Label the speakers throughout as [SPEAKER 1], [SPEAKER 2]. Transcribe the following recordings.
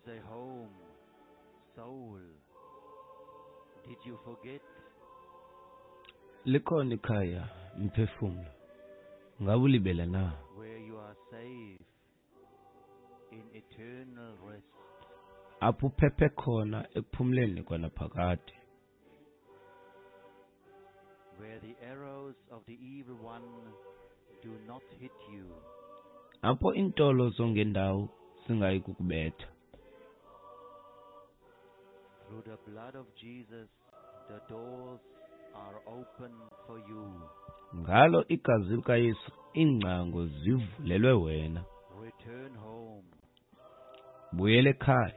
[SPEAKER 1] is a home, soul. Did you forget?
[SPEAKER 2] Likhona ikhaya, mphefumlo. Ngabe ulibele na?
[SPEAKER 1] Where you are safe in eternal rest.
[SPEAKER 2] Apho uphephe khona ekuphumleni kwanaphakade.
[SPEAKER 1] Where the arrows of the evil one do not hit you.
[SPEAKER 2] Apho iintolo zongendawo zingayi kukubetha.
[SPEAKER 1] Through the blood of Jesus, the doors are open for you.
[SPEAKER 2] Ngalo igazi likaYesu iingcango zivulelwe wena.
[SPEAKER 1] Return home.
[SPEAKER 2] Buyela ekhaya.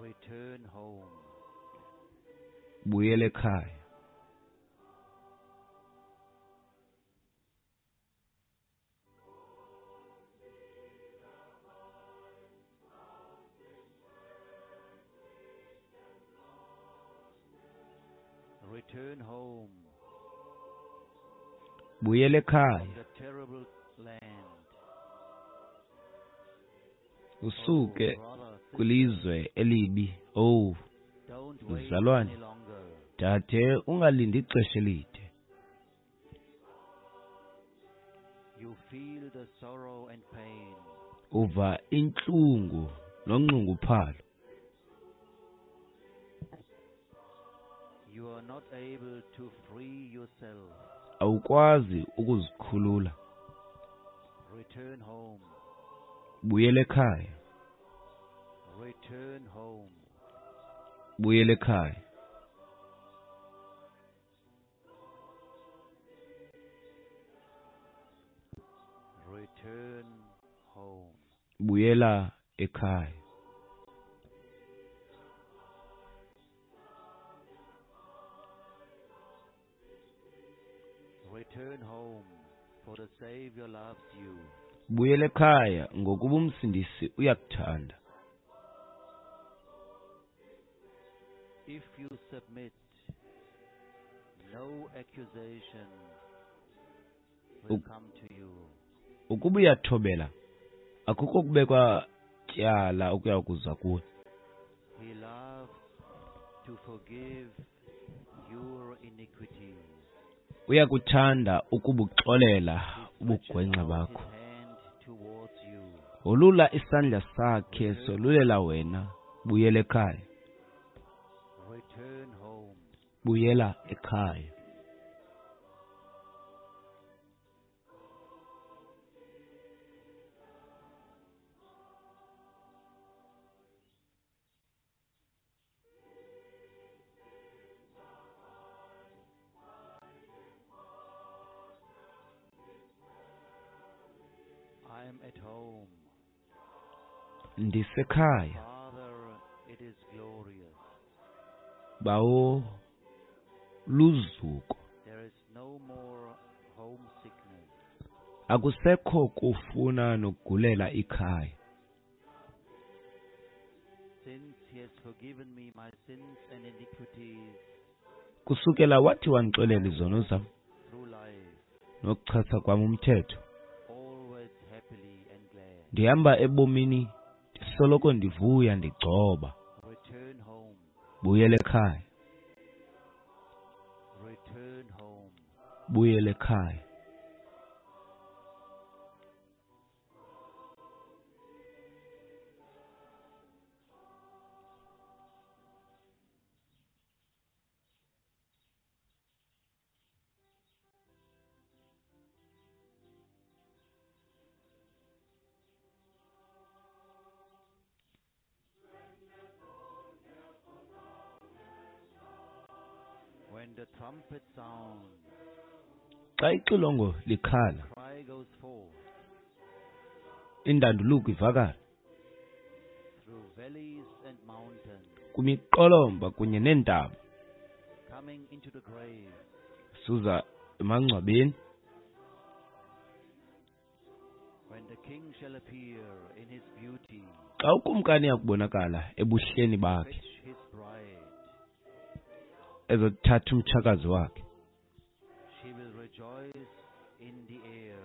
[SPEAKER 1] Return home.
[SPEAKER 2] Buyela ekhaya.
[SPEAKER 1] Return home.
[SPEAKER 2] Buyela ekhaya.
[SPEAKER 1] From the terrible land.
[SPEAKER 2] Usuke
[SPEAKER 1] Oh, brother, sister,
[SPEAKER 2] kwilizwe elibi. Oh,
[SPEAKER 1] don't wait
[SPEAKER 2] mzalwane.
[SPEAKER 1] any longer.
[SPEAKER 2] Dade, ungalindi ixesha elide.
[SPEAKER 1] You feel the sorrow and pain.
[SPEAKER 2] Uva intlungu nonxunguphalo.
[SPEAKER 1] You are not able to free yourself.
[SPEAKER 2] Awukwazi ukuzikhulula.
[SPEAKER 1] Return home.
[SPEAKER 2] Buyela ekhaya.
[SPEAKER 1] Return home.
[SPEAKER 2] Buyela ekhaya.
[SPEAKER 1] Return home.
[SPEAKER 2] Buyela ekhaya.
[SPEAKER 1] Return home, for the Savior loves you.
[SPEAKER 2] Buyela ekhaya ngokuba umsindisi uyakuthanda.
[SPEAKER 1] If you submit, no accusation will come to you.
[SPEAKER 2] Ukuba uyathobela, akukho kubekwa tyala okuya kuza kuwe.
[SPEAKER 1] He loves to forgive your iniquities.
[SPEAKER 2] Uyakuthanda ukubuxolela
[SPEAKER 1] He stretches
[SPEAKER 2] ubugwenxa
[SPEAKER 1] out
[SPEAKER 2] bakho.
[SPEAKER 1] his hand towards you.
[SPEAKER 2] Wolula isandla sakhe solulela wena. Buyela ekhaya.
[SPEAKER 1] Return home.
[SPEAKER 2] Buyela ekhaya.
[SPEAKER 1] I am at home.
[SPEAKER 2] Ndisekhaya.
[SPEAKER 1] Father, it is glorious.
[SPEAKER 2] Bawo luzuko.
[SPEAKER 1] There is no more homesickness.
[SPEAKER 2] Akusekho kufuna nokugulela ikhaya.
[SPEAKER 1] Since he has forgiven me my sins and iniquities
[SPEAKER 2] Kusukela wathi wandixolela izono zam
[SPEAKER 1] through life,
[SPEAKER 2] nokuchasa kwam umthetho,
[SPEAKER 1] always happily and glad.
[SPEAKER 2] ndihamba ebomini ndisoloko ndivuya ndigcoba.
[SPEAKER 1] Return home.
[SPEAKER 2] Buyela ekhaya.
[SPEAKER 1] Return home.
[SPEAKER 2] Buyela ekhaya.
[SPEAKER 1] When the trumpet sounds,
[SPEAKER 2] Xa ixilongo likhala,
[SPEAKER 1] cry goes forth
[SPEAKER 2] indanduluko ivakala
[SPEAKER 1] through valleys and mountains,
[SPEAKER 2] kwimiqolomba kunye neentaba,
[SPEAKER 1] coming into the grave.
[SPEAKER 2] suza emangcwabeni.
[SPEAKER 1] When the king shall appear in his beauty,
[SPEAKER 2] Xa ukumkani yakubonakala ebuhleni bakhe,
[SPEAKER 1] fetch his bride,
[SPEAKER 2] ezothatha umtshakazi wakhe,
[SPEAKER 1] she will rejoice in the air.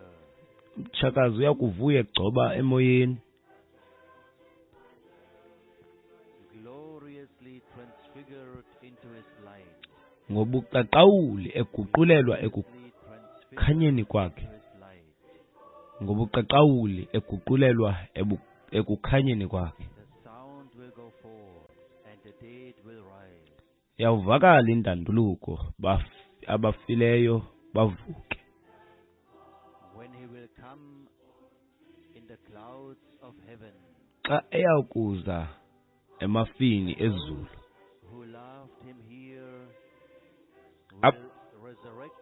[SPEAKER 2] umtshakazi uyakuvuya egcoba emoyeni.
[SPEAKER 1] Gloriously transfigured into his light.
[SPEAKER 2] Ngobuqaqawuli eguqulelwa
[SPEAKER 1] Gloriously
[SPEAKER 2] ekukhanyeni
[SPEAKER 1] transfigured
[SPEAKER 2] kwakhe.
[SPEAKER 1] into his light.
[SPEAKER 2] Ngobuqaqawuli eguqulelwa ekukhanyeni kwakhe.
[SPEAKER 1] The sound will go forth, and the dead will rise.
[SPEAKER 2] Yawuvakala indanduluko, abafileyo bavuke.
[SPEAKER 1] When he will come in the clouds of heaven,
[SPEAKER 2] Xa eyakuza emafini ezulu,
[SPEAKER 1] those who loved him here will resurrect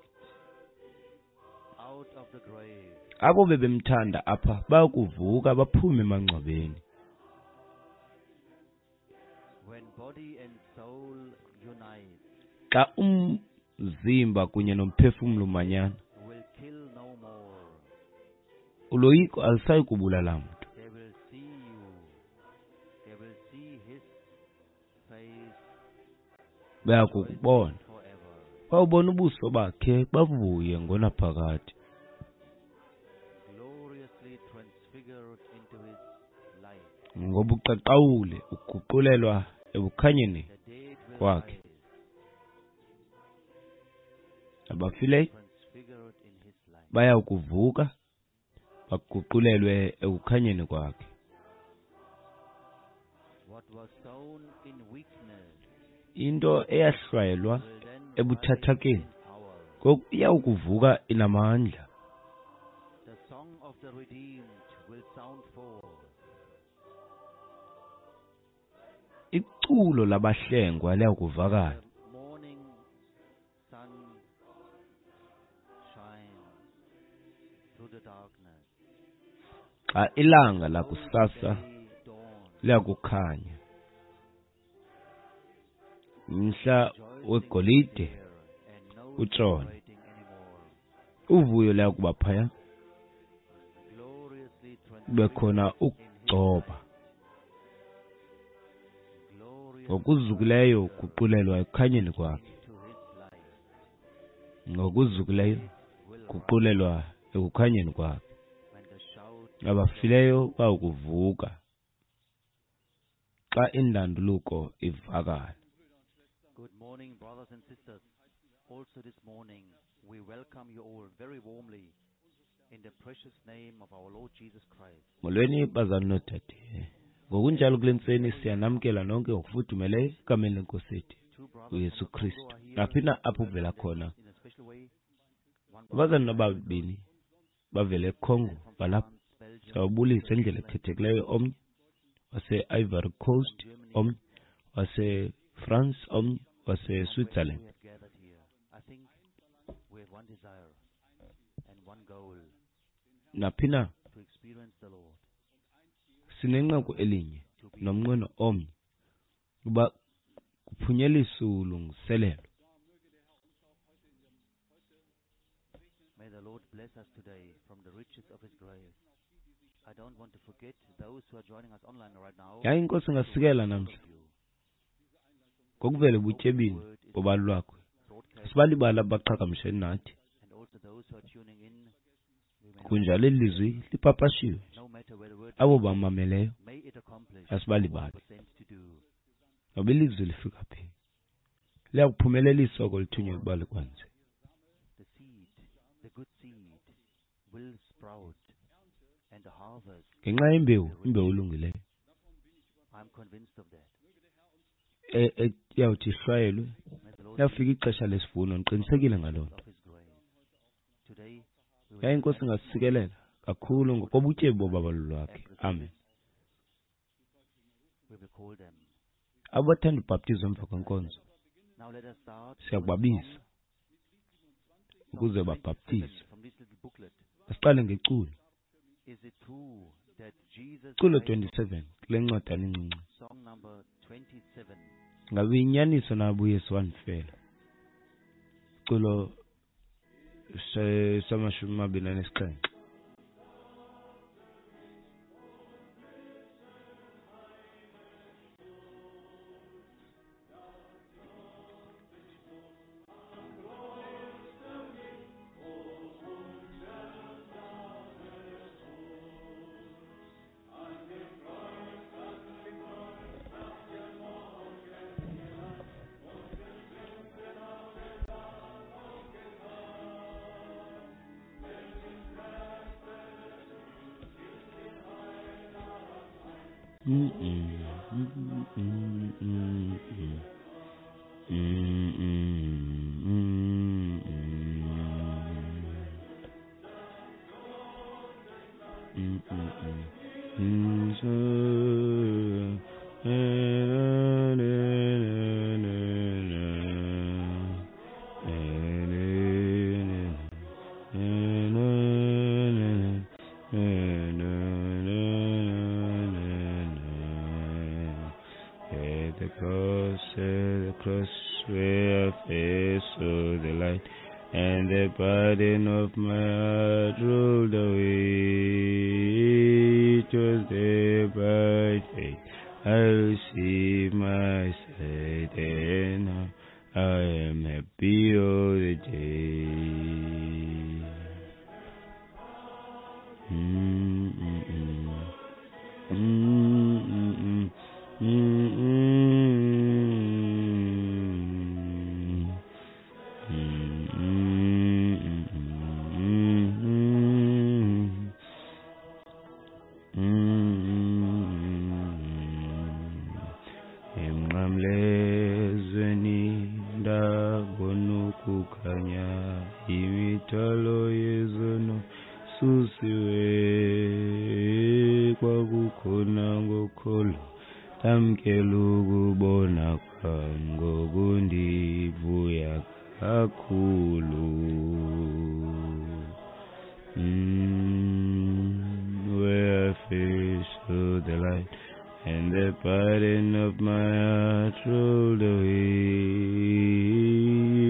[SPEAKER 1] out of the grave.
[SPEAKER 2] Abo bebemthanda apha bayakuvuka baphume emangcwabeni.
[SPEAKER 1] When body and soul unite,
[SPEAKER 2] Xa umzimba kunye nomphefumlo umanyana,
[SPEAKER 1] will kill no more.
[SPEAKER 2] uloyiko alusayi kubulala mntu.
[SPEAKER 1] They will see you. They will see his face
[SPEAKER 2] Bayakukubona.
[SPEAKER 1] forever.
[SPEAKER 2] Bawubona ubuso bakhe bavuye ngonaphakade.
[SPEAKER 1] Gloriously transfigured into his light.
[SPEAKER 2] Ngobuqaqawuli uguqulelwa ekukhanyeni
[SPEAKER 1] The dead will
[SPEAKER 2] kwakhe.
[SPEAKER 1] rise,
[SPEAKER 2] Abafileyo
[SPEAKER 1] transfigured in his light.
[SPEAKER 2] bayakuvuka baguqulelwe ekukhanyeni kwakhe.
[SPEAKER 1] What was sown in weakness
[SPEAKER 2] Into eyahlwayelwa
[SPEAKER 1] will then rise
[SPEAKER 2] ebuthathakeni
[SPEAKER 1] in power.
[SPEAKER 2] ngoku iyawukuvuka inamandla.
[SPEAKER 1] The song of the redeemed will sound forth.
[SPEAKER 2] Iculo labahlengwa liyakuvakala.
[SPEAKER 1] The morning sun shines through the darkness.
[SPEAKER 2] Xa ilanga
[SPEAKER 1] Old
[SPEAKER 2] lakusasa
[SPEAKER 1] day dawns,
[SPEAKER 2] liyakukhanya, mhla
[SPEAKER 1] rejoicing is
[SPEAKER 2] wegolide
[SPEAKER 1] there and no
[SPEAKER 2] utshone.
[SPEAKER 1] separating anymore.
[SPEAKER 2] Uvuyo liyakuba phaya,
[SPEAKER 1] Gloriously
[SPEAKER 2] kube khona
[SPEAKER 1] transfigured in his
[SPEAKER 2] ukugcoba.
[SPEAKER 1] light. Gloriously
[SPEAKER 2] Ngokuzukileyo
[SPEAKER 1] transfigured
[SPEAKER 2] uguqulelwa ekukhanyeni kwakhe.
[SPEAKER 1] into his light.
[SPEAKER 2] Ngokuzukileyo
[SPEAKER 1] Will rise
[SPEAKER 2] guqulelwa ekukhanyeni kwakhe.
[SPEAKER 1] when the shout
[SPEAKER 2] Abafileyo bayakuvuka xa indanduluko ivakala.
[SPEAKER 1] Good morning, brothers and sisters. Also this morning, we welcome you all very warmly in the precious name of our Lord Jesus Christ.
[SPEAKER 2] Molweni bazali noodade. Ngokunjalo kule ntseni siyanamkela nonke ngokufudumeleyo egameni lenkosi yethu
[SPEAKER 1] Two brothers
[SPEAKER 2] uYesu
[SPEAKER 1] from the Congo
[SPEAKER 2] Kristu.
[SPEAKER 1] are here.
[SPEAKER 2] Naphi na apho
[SPEAKER 1] We
[SPEAKER 2] uvela
[SPEAKER 1] welcome them
[SPEAKER 2] khona.
[SPEAKER 1] in a special way. One brother
[SPEAKER 2] Abazali
[SPEAKER 1] from
[SPEAKER 2] nababini bavele eCongo
[SPEAKER 1] from
[SPEAKER 2] balapha.
[SPEAKER 1] France, Belgium,
[SPEAKER 2] Siyawubulisa indlela
[SPEAKER 1] Switzerland,
[SPEAKER 2] ekhethekileyo omnye wase-Ivory Coast,
[SPEAKER 1] from Germany,
[SPEAKER 2] omnye wase-France, omnye
[SPEAKER 1] from wherever
[SPEAKER 2] wase-Switzerland.
[SPEAKER 1] we have gathered here. I think we have one desire and one goal:
[SPEAKER 2] Naphi na
[SPEAKER 1] to experience the Lord,
[SPEAKER 2] sinenqaku elinye
[SPEAKER 1] to be
[SPEAKER 2] nomnqweno omnye uba kuphunyeliswe ulungiselelo.
[SPEAKER 1] May the Lord bless us today from the riches of His grace. I don't want to forget those who are joining us online right now.
[SPEAKER 2] Yaye inkosi
[SPEAKER 1] To
[SPEAKER 2] ingasikela
[SPEAKER 1] welcome all
[SPEAKER 2] namhla
[SPEAKER 1] of you.
[SPEAKER 2] ngokuvela
[SPEAKER 1] Open
[SPEAKER 2] ebutyebini
[SPEAKER 1] word is
[SPEAKER 2] bobalo lwakhe.
[SPEAKER 1] broadcast,
[SPEAKER 2] Sibalibala abaqhagamsheni nathi.
[SPEAKER 1] and also those who are tuning in. We may not
[SPEAKER 2] Kunjalo eli lizwi lipapashiwe.
[SPEAKER 1] no matter where the word
[SPEAKER 2] Abo
[SPEAKER 1] reaches,
[SPEAKER 2] bamameleyo
[SPEAKER 1] may it accomplish what
[SPEAKER 2] asibalibali.
[SPEAKER 1] was sent to do.
[SPEAKER 2] Ngoba ilizwi lifika phi, liyakuphumelelisa oko lithunyelwe ukuba likwenze.
[SPEAKER 1] The seed, the good seed, will sprout, and the harvest
[SPEAKER 2] Ngenxa yembewu,
[SPEAKER 1] will be rich.
[SPEAKER 2] imbewu elungileyo
[SPEAKER 1] I'm convinced of that.
[SPEAKER 2] Iyawuthi ihlwayelwe,
[SPEAKER 1] May the Lord
[SPEAKER 2] liyafika ixesha lesivuno, ndiqinisekile
[SPEAKER 1] from the
[SPEAKER 2] ngaloo
[SPEAKER 1] riches
[SPEAKER 2] nto.
[SPEAKER 1] of His grace. Today we will
[SPEAKER 2] Yaye inkosi
[SPEAKER 1] have
[SPEAKER 2] ingasikelela kakhulu ngokobutyebi bobabalo lwakhe.
[SPEAKER 1] and receive
[SPEAKER 2] Amen.
[SPEAKER 1] it. We will call them.
[SPEAKER 2] Abathanda ubhaptizo emva kwenkonzo
[SPEAKER 1] Now let us start with
[SPEAKER 2] siyakubabiza
[SPEAKER 1] song, song
[SPEAKER 2] ukuze
[SPEAKER 1] 27
[SPEAKER 2] babhaptizwe.
[SPEAKER 1] from this little booklet.
[SPEAKER 2] Asiqale ngeculo.
[SPEAKER 1] Is it true that Jesus
[SPEAKER 2] Culo
[SPEAKER 1] died for
[SPEAKER 2] 27 kule ncwadana incinci.
[SPEAKER 1] Song number 27.
[SPEAKER 2] Ngabe inyaniso na uYesu wandifela? Culo 27. At the cross where I first saw the light, and the burden of my heart rolled away. It was there by faith I received my sight, and now I am happy all the day. Emnqamlezweni ndabona ukukhanya, imithwalo yezono susiwe, kwakukhona ngokholo ndamkela ukubona kwam, ngoku ndivuya kakhulu. Where I first saw the light, and the burden of my heart rolled away.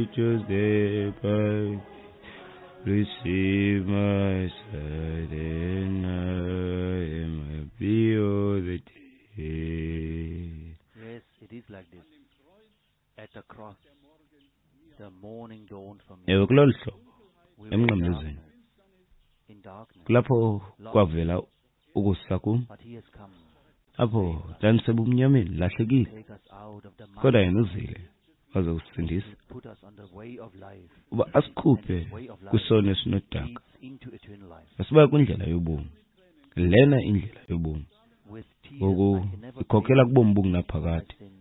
[SPEAKER 2] It was there by receive my sight, and I am happy all the day.
[SPEAKER 1] Yes, it is like this. At the cross, the morning dawned for me.
[SPEAKER 2] Ewe, kulolu hlobo
[SPEAKER 1] We were in
[SPEAKER 2] emnqamlezweni
[SPEAKER 1] darkness, in darkness,
[SPEAKER 2] kulapho kwavela ukusa kum,
[SPEAKER 1] but he has come
[SPEAKER 2] apho ndandisebumnyameni lahlekile,
[SPEAKER 1] take us out of the
[SPEAKER 2] kodwa
[SPEAKER 1] mud.
[SPEAKER 2] yena uzile waze kusindisa
[SPEAKER 1] He put us on the way of life.
[SPEAKER 2] uba asikhuphe
[SPEAKER 1] And his way of life
[SPEAKER 2] kwisono esinodaka,
[SPEAKER 1] leads into eternal life.
[SPEAKER 2] asiba kwindlela yobomi. Lena indlela yobomi
[SPEAKER 1] With tears
[SPEAKER 2] ngoku
[SPEAKER 1] I can never
[SPEAKER 2] ikhokela
[SPEAKER 1] pay
[SPEAKER 2] kubomi
[SPEAKER 1] my
[SPEAKER 2] obungunaphakade.
[SPEAKER 1] sins.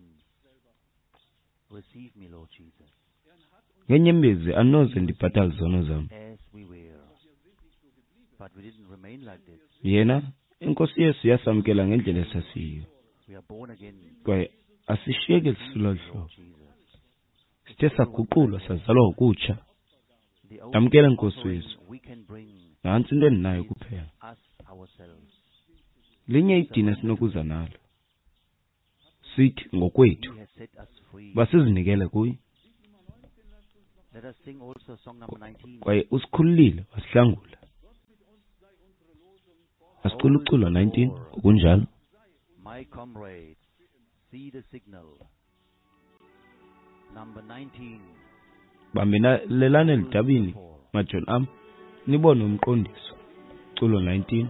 [SPEAKER 1] Receive me, Lord Jesus,
[SPEAKER 2] Ngenyembezi anoze ndibhatale izono zam.
[SPEAKER 1] as we were. But we didn't remain like this.
[SPEAKER 2] Yena iNkosi Yesu yasamkela ngendlela esasiyiyo,
[SPEAKER 1] We are born again.
[SPEAKER 2] kwaye asishiyeki
[SPEAKER 1] Receive
[SPEAKER 2] silolu
[SPEAKER 1] me,
[SPEAKER 2] hlobo.
[SPEAKER 1] Lord Jesus.
[SPEAKER 2] Sithe saguqulwa sazalwa ngokutsha.
[SPEAKER 1] The only
[SPEAKER 2] Ndamkela Nkosi
[SPEAKER 1] offering
[SPEAKER 2] Yesu.
[SPEAKER 1] we can bring
[SPEAKER 2] Nantsi into endinayo
[SPEAKER 1] is
[SPEAKER 2] kuphela,
[SPEAKER 1] us ourselves.
[SPEAKER 2] linye idini esinokuza nalo, sithi ngokwethu
[SPEAKER 1] He has set us free.
[SPEAKER 2] uba sizinikele kuye,
[SPEAKER 1] Let us sing also song number 19.
[SPEAKER 2] kwaye usikhululile wasihlangula. Asicula uculo 19 ngokunjalo.
[SPEAKER 1] My comrades, see the signal. Number 19.
[SPEAKER 2] Bambelelani eludabini,
[SPEAKER 1] Four.
[SPEAKER 2] majoni am, nibone umqondiso. Culo 19.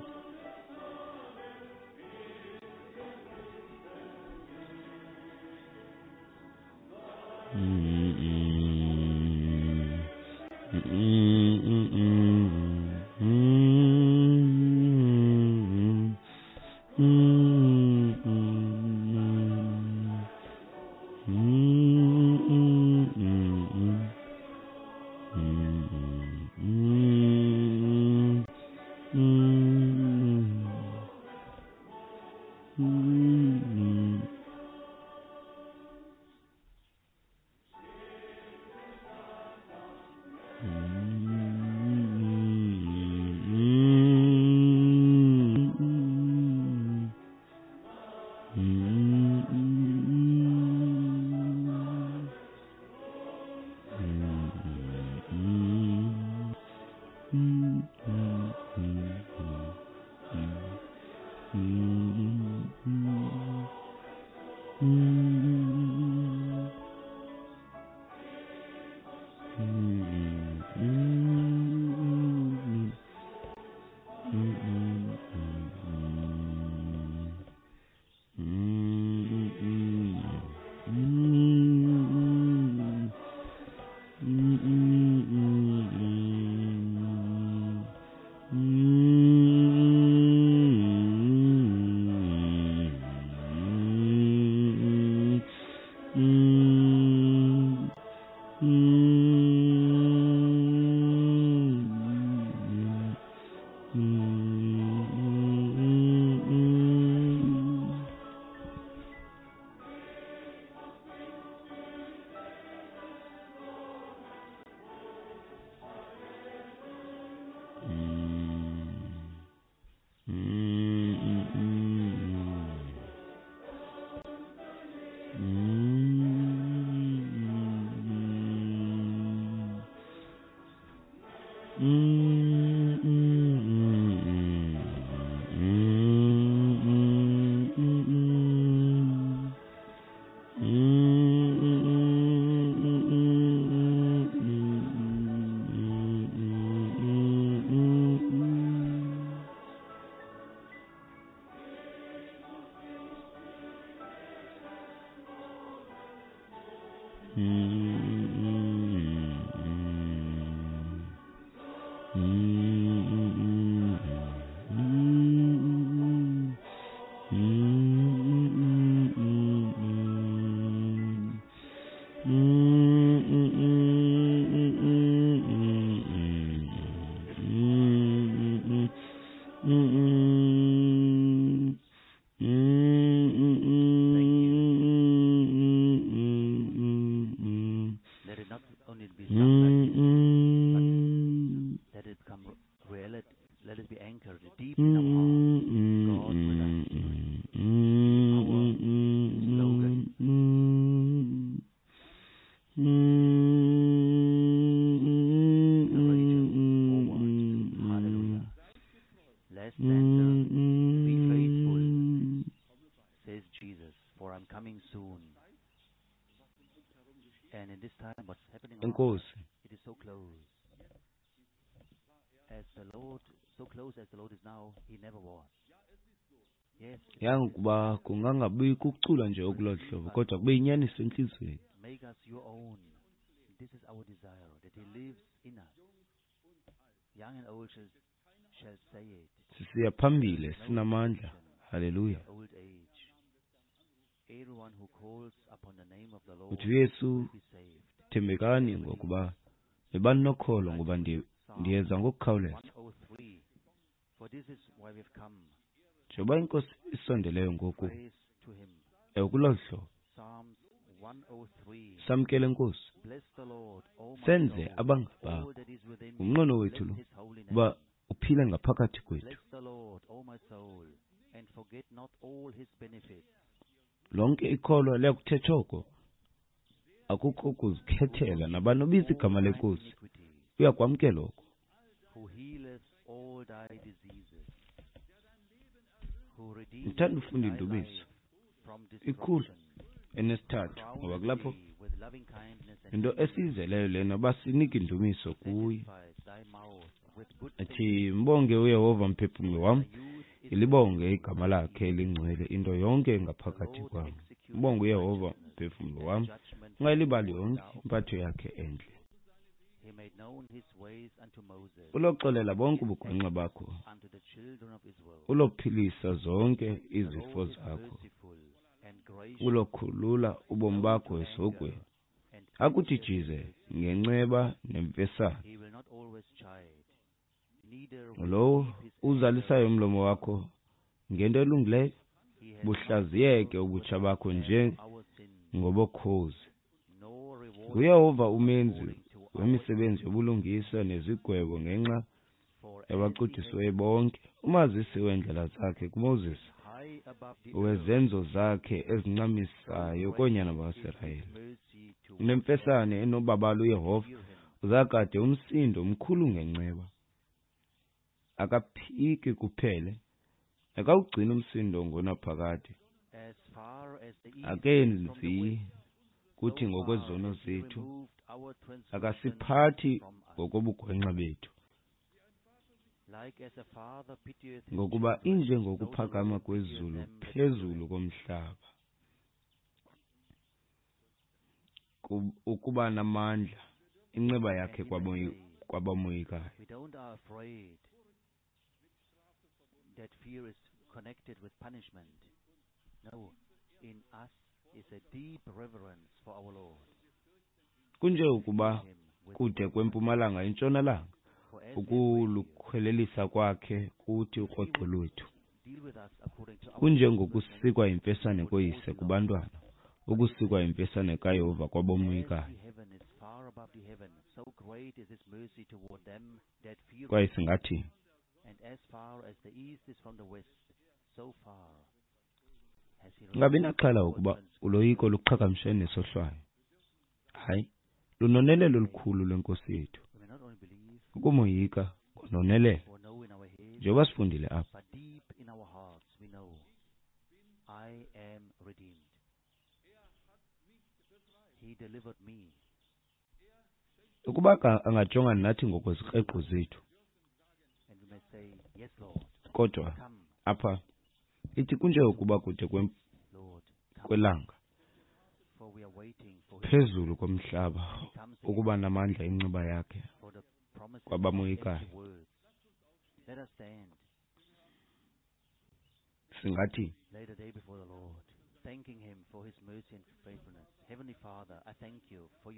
[SPEAKER 2] mm, mm, mm, mm, mm. Mm, mm, mm, mm. Mm, mm, mm, mm, mm, mm, mm. Mm, mm, mm, mm, mm, mm, mm, mm. Mm, mm, mm. Mm, mm, mm, mm, mm, mm, mm. Mm, mm, mm, mm, mm, mm, mm. Mm, mm, mm, mm, mm.
[SPEAKER 1] Let it not only be sung like
[SPEAKER 2] Mm,
[SPEAKER 1] this, but
[SPEAKER 2] mm.
[SPEAKER 1] let it become reality. Let it be anchored deep in our hearts. God with us. Be our slogan. Courageous forward. Hallelujah. Last stanza. Be faithful, says Jesus, for I'm coming soon. And in this time, what's happening around us,
[SPEAKER 2] Enkosi.
[SPEAKER 1] it is so close. As the Lord, so close as the Lord is now, he never was. Yes, it's like this.
[SPEAKER 2] Yangokuba kungangabikho ukucula nje okulolu
[SPEAKER 1] Receive
[SPEAKER 2] hlobo
[SPEAKER 1] us,
[SPEAKER 2] kodwa kube yinyaniso entliziyweni.
[SPEAKER 1] make us your own. This is our desire, that he lives in us. Young and old shall say it.
[SPEAKER 2] Sisiya
[SPEAKER 1] There is
[SPEAKER 2] phambili
[SPEAKER 1] no
[SPEAKER 2] sinamandla.
[SPEAKER 1] distinction
[SPEAKER 2] Haleluya.
[SPEAKER 1] in old age. Everyone who calls upon the name of the
[SPEAKER 2] Uthi
[SPEAKER 1] Lord
[SPEAKER 2] uYesu,
[SPEAKER 1] will be saved.
[SPEAKER 2] thembekani
[SPEAKER 1] Everybody
[SPEAKER 2] ngokuba yibani nokholo
[SPEAKER 1] like
[SPEAKER 2] ngoba
[SPEAKER 1] with Psalm
[SPEAKER 2] ndiyeza ngokukhawuleza.
[SPEAKER 1] 103. For this is why we've come.
[SPEAKER 2] Njengoba iNkosi isondeleyo ngoku,
[SPEAKER 1] Praise to him.
[SPEAKER 2] ewe kulolu hlobo
[SPEAKER 1] Psalms 103.
[SPEAKER 2] samkele Nkosi,
[SPEAKER 1] Bless the Lord, O my
[SPEAKER 2] senze
[SPEAKER 1] soul,
[SPEAKER 2] abangabakho.
[SPEAKER 1] all that is within me.
[SPEAKER 2] Ngumnqweno wethu
[SPEAKER 1] Bless
[SPEAKER 2] lo
[SPEAKER 1] his holy
[SPEAKER 2] uba
[SPEAKER 1] name.
[SPEAKER 2] uphile ngaphakathi kwethu.
[SPEAKER 1] Bless the Lord, O my soul, and forget not all his benefits.
[SPEAKER 2] Lonke ikholwa liyakuthetha oko. Akukho
[SPEAKER 1] Who
[SPEAKER 2] kuzikhethela
[SPEAKER 1] forgiveth
[SPEAKER 2] nabani obiza
[SPEAKER 1] all
[SPEAKER 2] igama
[SPEAKER 1] thine
[SPEAKER 2] leNkosi
[SPEAKER 1] iniquities,
[SPEAKER 2] uyakwamkela oko.
[SPEAKER 1] who healeth all thy diseases, who
[SPEAKER 2] Ndithanda
[SPEAKER 1] redeemeth
[SPEAKER 2] ufunda
[SPEAKER 1] thy
[SPEAKER 2] indumiso
[SPEAKER 1] life from
[SPEAKER 2] ikhulu
[SPEAKER 1] destruction, who
[SPEAKER 2] enesithathu ngoba
[SPEAKER 1] crowneth
[SPEAKER 2] kulapho
[SPEAKER 1] thee with loving kindness and
[SPEAKER 2] into
[SPEAKER 1] tender mercies,
[SPEAKER 2] esiyizeleyo lena basinike indumiso kuye.
[SPEAKER 1] satisfies thy mouth with good
[SPEAKER 2] Athi
[SPEAKER 1] things,
[SPEAKER 2] mbonge uYehova mphefumlo
[SPEAKER 1] so
[SPEAKER 2] wam,
[SPEAKER 1] that thy youth is as
[SPEAKER 2] ilibonge igama
[SPEAKER 1] the
[SPEAKER 2] lakhe
[SPEAKER 1] eagle.
[SPEAKER 2] elingcwele into yonke
[SPEAKER 1] The
[SPEAKER 2] engaphakathi
[SPEAKER 1] Lord
[SPEAKER 2] kwam.
[SPEAKER 1] executeth
[SPEAKER 2] Mbonge uYehova
[SPEAKER 1] righteousness
[SPEAKER 2] mphefumlo
[SPEAKER 1] and
[SPEAKER 2] wam,
[SPEAKER 1] judgment for
[SPEAKER 2] ungayilibali
[SPEAKER 1] all
[SPEAKER 2] yonke
[SPEAKER 1] that are
[SPEAKER 2] impatho
[SPEAKER 1] oppressed.
[SPEAKER 2] yakhe entle.
[SPEAKER 1] He made known his ways unto Moses,
[SPEAKER 2] Uloxolela bonke
[SPEAKER 1] his
[SPEAKER 2] ubugwenxa
[SPEAKER 1] acts
[SPEAKER 2] bakho,
[SPEAKER 1] unto the children of Israel.
[SPEAKER 2] ulophilisa zonke
[SPEAKER 1] The
[SPEAKER 2] izifo
[SPEAKER 1] Lord is
[SPEAKER 2] zakho,
[SPEAKER 1] merciful and gracious,
[SPEAKER 2] ulokhulula ubomi
[SPEAKER 1] slow
[SPEAKER 2] bakho
[SPEAKER 1] to anger,
[SPEAKER 2] esihogweni,
[SPEAKER 1] and plenteous in
[SPEAKER 2] akujijize
[SPEAKER 1] mercy.
[SPEAKER 2] ngenceba nemfesane.
[SPEAKER 1] He will not always chide, neither will he
[SPEAKER 2] Lowo
[SPEAKER 1] keep his anger
[SPEAKER 2] uzalisayo umlomo wakho ngento elungileyo,
[SPEAKER 1] He hath not
[SPEAKER 2] buhlaziyeke
[SPEAKER 1] dealt with
[SPEAKER 2] ubutsha
[SPEAKER 1] us
[SPEAKER 2] bakho
[SPEAKER 1] as
[SPEAKER 2] nje
[SPEAKER 1] for our sins,
[SPEAKER 2] ngobokhozi.
[SPEAKER 1] nor rewarded
[SPEAKER 2] NguYehova
[SPEAKER 1] us
[SPEAKER 2] umenzi
[SPEAKER 1] according to our
[SPEAKER 2] wemisebenzi
[SPEAKER 1] iniquities.
[SPEAKER 2] yobulungisa nezigwebo ngenxa
[SPEAKER 1] For as he hath
[SPEAKER 2] yabacudisiweyo bonke. Umazisi weendlela zakhe kuMoses,
[SPEAKER 1] high above the earth,
[SPEAKER 2] wezenzo zakhe
[SPEAKER 1] so
[SPEAKER 2] ezincamisayo
[SPEAKER 1] great
[SPEAKER 2] koonyana
[SPEAKER 1] is his
[SPEAKER 2] bakaSirayeli.
[SPEAKER 1] mercy towards them
[SPEAKER 2] Unemfesane enobabalo
[SPEAKER 1] that
[SPEAKER 2] uYehova,
[SPEAKER 1] fear him.
[SPEAKER 2] uzakade umsindo mkhulu ngenceba. Akaphiki kuphele, akawugcini umsindo ngonaphakade.
[SPEAKER 1] As far as the east is from the
[SPEAKER 2] Akenzi
[SPEAKER 1] west,
[SPEAKER 2] kuthi
[SPEAKER 1] so far
[SPEAKER 2] ngokwezono
[SPEAKER 1] hath he
[SPEAKER 2] zethu,
[SPEAKER 1] removed our transgressions
[SPEAKER 2] akasiphathi
[SPEAKER 1] from us.
[SPEAKER 2] ngokobugwenxa bethu.
[SPEAKER 1] Like as a father pitieth his
[SPEAKER 2] Ngokuba
[SPEAKER 1] children, so the
[SPEAKER 2] injengokuphakama
[SPEAKER 1] Lord pitieth
[SPEAKER 2] kwezulu
[SPEAKER 1] them that fear
[SPEAKER 2] phezulu
[SPEAKER 1] him.
[SPEAKER 2] komhlaba, ukuba namandla inceba
[SPEAKER 1] And
[SPEAKER 2] yakhe
[SPEAKER 1] he may say,
[SPEAKER 2] kwabamoyikayo.
[SPEAKER 1] we don't are afraid that fear is connected with punishment. No, in us
[SPEAKER 2] Kunje ukuba kude kwempumalanga intshonalanga, ukulukhwelelisa kwakhe kuthi ukroqo lwethu. Kunjengokusikwa yimfesane koyise kubantwana, ukusikwa yimfesane kaYehova kwabomoyikayo. Kwaye singathi ungabi naxhala ukuba uloyiko luqhagamshe nesohlwayo. Hayi, lunonelelo olukhulu lwenkosi yethu. Ukumoyika ngononelelo, njengoba sifundile apha. Ukuba angajongana nathi ngokwezikreqo zethu, kodwa apha ithi kunje ukuba kude kwelanga phezulu komhlaba, ukuba namandla inceba yakhe kwabamoyikayo. Singathi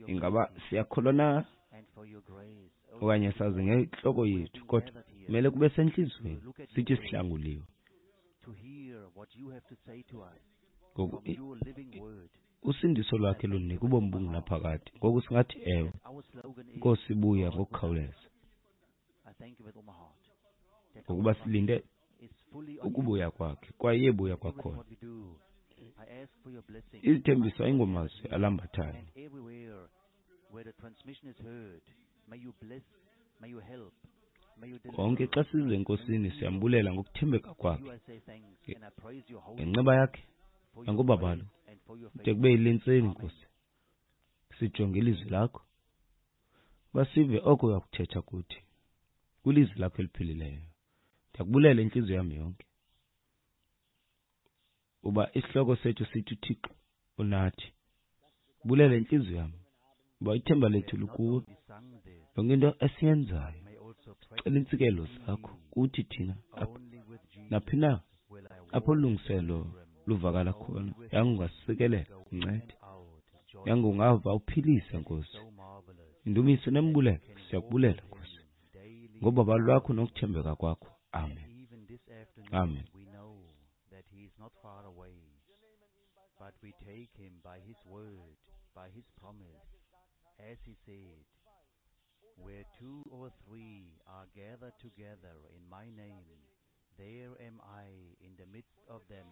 [SPEAKER 2] ingaba siyakholwa na okanye sazi ngentloko yethu, kodwa kumele kube sentliziyweni sithi sihlanguliwe. Ngoku usindiso lwakhe lunika ubomi obungunaphakade. Ngoku singathi ewe, Nkosi, buya ngokukhawuleza, ngokuba silinde ukubuya kwakhe, kwaye iyebuya kwakhona. Izithembiso ayingomazwi alambathayo. Konke xa size eNkosini siyambulela ngokuthembeka kwakhe, ngenceba yakhe nangobabalo, kude kube yile ntseni, Nkosi. Sijonge ilizwi lakho, basive oko uyakuthetha kuthi kwilizwi lakho eliphilileyo. Ndiyakubulela intliziyo yam yonke, uba isihloko sethu sithi uThixo unathi. Bulela intliziyo yam, uba ithemba lethu likuwe. Yonke into esiyenzayo, sicela iintsikelo zakho kuthi thina apha naphi na apho ulungiselo luvakala khona. Yangungasikelela, uncede. Yangungava uphilise, Nkosi. Indumiso nembulelo, siyakubulela, Nkosi, ngobabalo lwakho nokuthembeka kwakho. Amen. Amen.
[SPEAKER 1] But we take him by his word, by his promise, as he said, where two or three are gathered together in my name, there am I in the midst of them.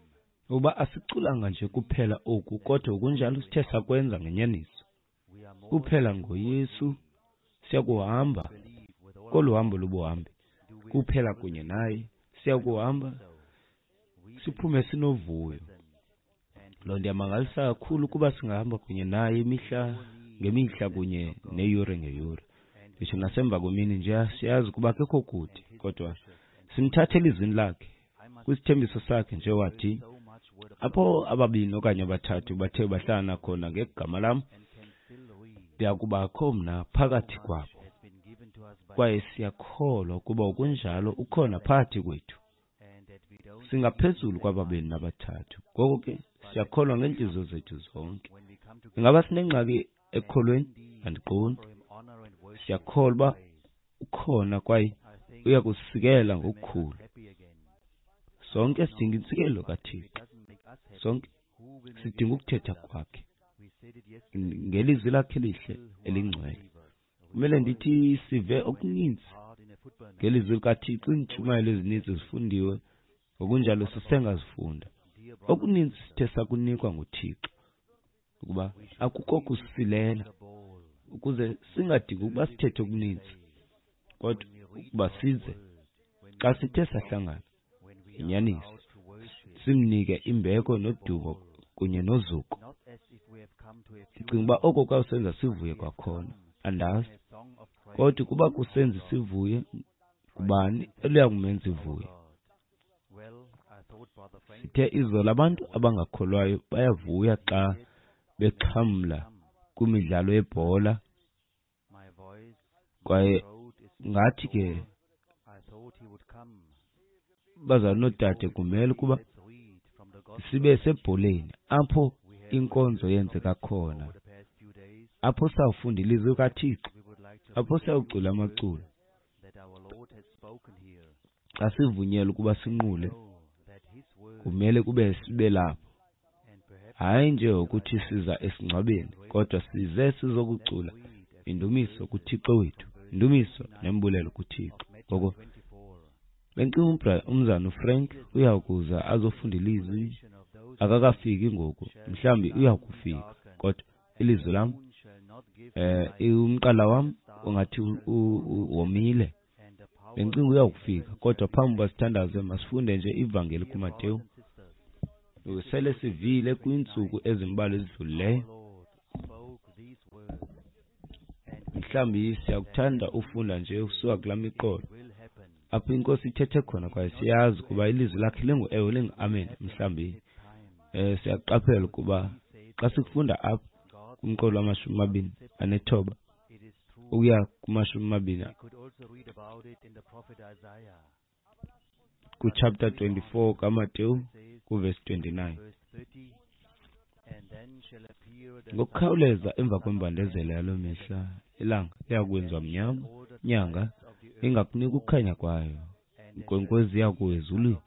[SPEAKER 2] Uba asiculanga nje kuphela oku, kodwa kunjalo sithe sakwenza ngenyaniso. Kuphela ngoYesu siyakuhamba kolu hambo lobuhambi. Kuphela kunye naye siyakuhamba siphume sinovuyo. Loo nto iyamangalisa kakhulu kuba singahamba kunye naye imihla ngemihla kunye neyure ngeyure. Nditsho nasemva kwemini nje siyazi ukuba akekho kude, kodwa simthathe elizwini lakhe, kwisithembiso sakhe nje wathi, apho ababini okanye abathathu bathe bahlala khona ngegama lam, ndiyakubakho mna phakathi kwabo. Kwaye siyakholwa ukuba ukunjalo ukhona phakathi kwethu. Singaphezulu kwababini nabathathu. Ngoko ke siyakholwa ngeentliziyo zethu zonke. Ingaba sinengxaki ekukholweni? Andiqondi. Siyakholwa uba ukhona kwaye uya kusisikela ngokukhulu. Sonke sidinga intsikelo kaThixo. Sonke sidinga ukuthetha kwakhe ngelizwi lakhe elihle elingcwele. Kumele ndithi sive okuninzi ngelizwi likaThixo. Iintshumayelo ezininzi zifundiwe, ngokunjalo sisengazifunda. Okuninzi sithe sakunikwa nguThixo ukuba akukho kusilela, ukuze singadingi ukuba sithethe okuninzi, kodwa ukuba size xa sithe sahlangana inyaniso simnike imbeko nodumo kunye nozuko. Ndicinga uba oko kwawusenza sivuye kwakhona, andazi, kodwa ukuba kusenza sivuye, ngubani eluya kumenza ivuye? Sithe izolo abantu abangakholwayo bayavuya xa bexhamla kwimidlalo yebhola, kwaye ngathi ke bazalwane noodade kumele ukuba sibe sebholeni apho inkonzo yenzeka khona, apho sawufunda ilizwi kaThixo, apho siyawucula amaculo. Xa sivunyelwa ukuba sinqule, kumele kube sibe lapho. Hayi nje ukuthi siza esingcwabeni, kodwa size sizokucula indumiso kuThixo wethu, indumiso nembulelo kuThixo. Ngoko bendicinga umzana uFrank uya kuza azofunda ilizwi. Akakafiki ngoku, mhlawumbi uya kufika, kodwa ilizwi lam, umqala wam ungathi womile. Bendicinga uya kufika, kodwa phambi uba sithandaze masifunde nje ivangeli kuMateyu. Sele sivile kwiintsuku ezimbalwa ezidlulileyo. Mhlawumbi siyakuthanda ufunda nje usuka kulaa miqolo apho iNkosi ithethe khona, kwaye siyazi ukuba ilizwi lakhe lingu-ewe lingu-amen. Mhlawumbi siyaqaphela ukuba xa sikufunda apha kumqolo wama-29 ukuya kuma-20 kuchapter 24 kaMateyu kuvesi 29. Ngokukhawuleza emva kwembandezelo yaloo mihla, ilanga liya kwenziwa mnyama, inyanga ingakunika ukukhanya kwayo, inkwenkwezi iya kuwa ezulwini,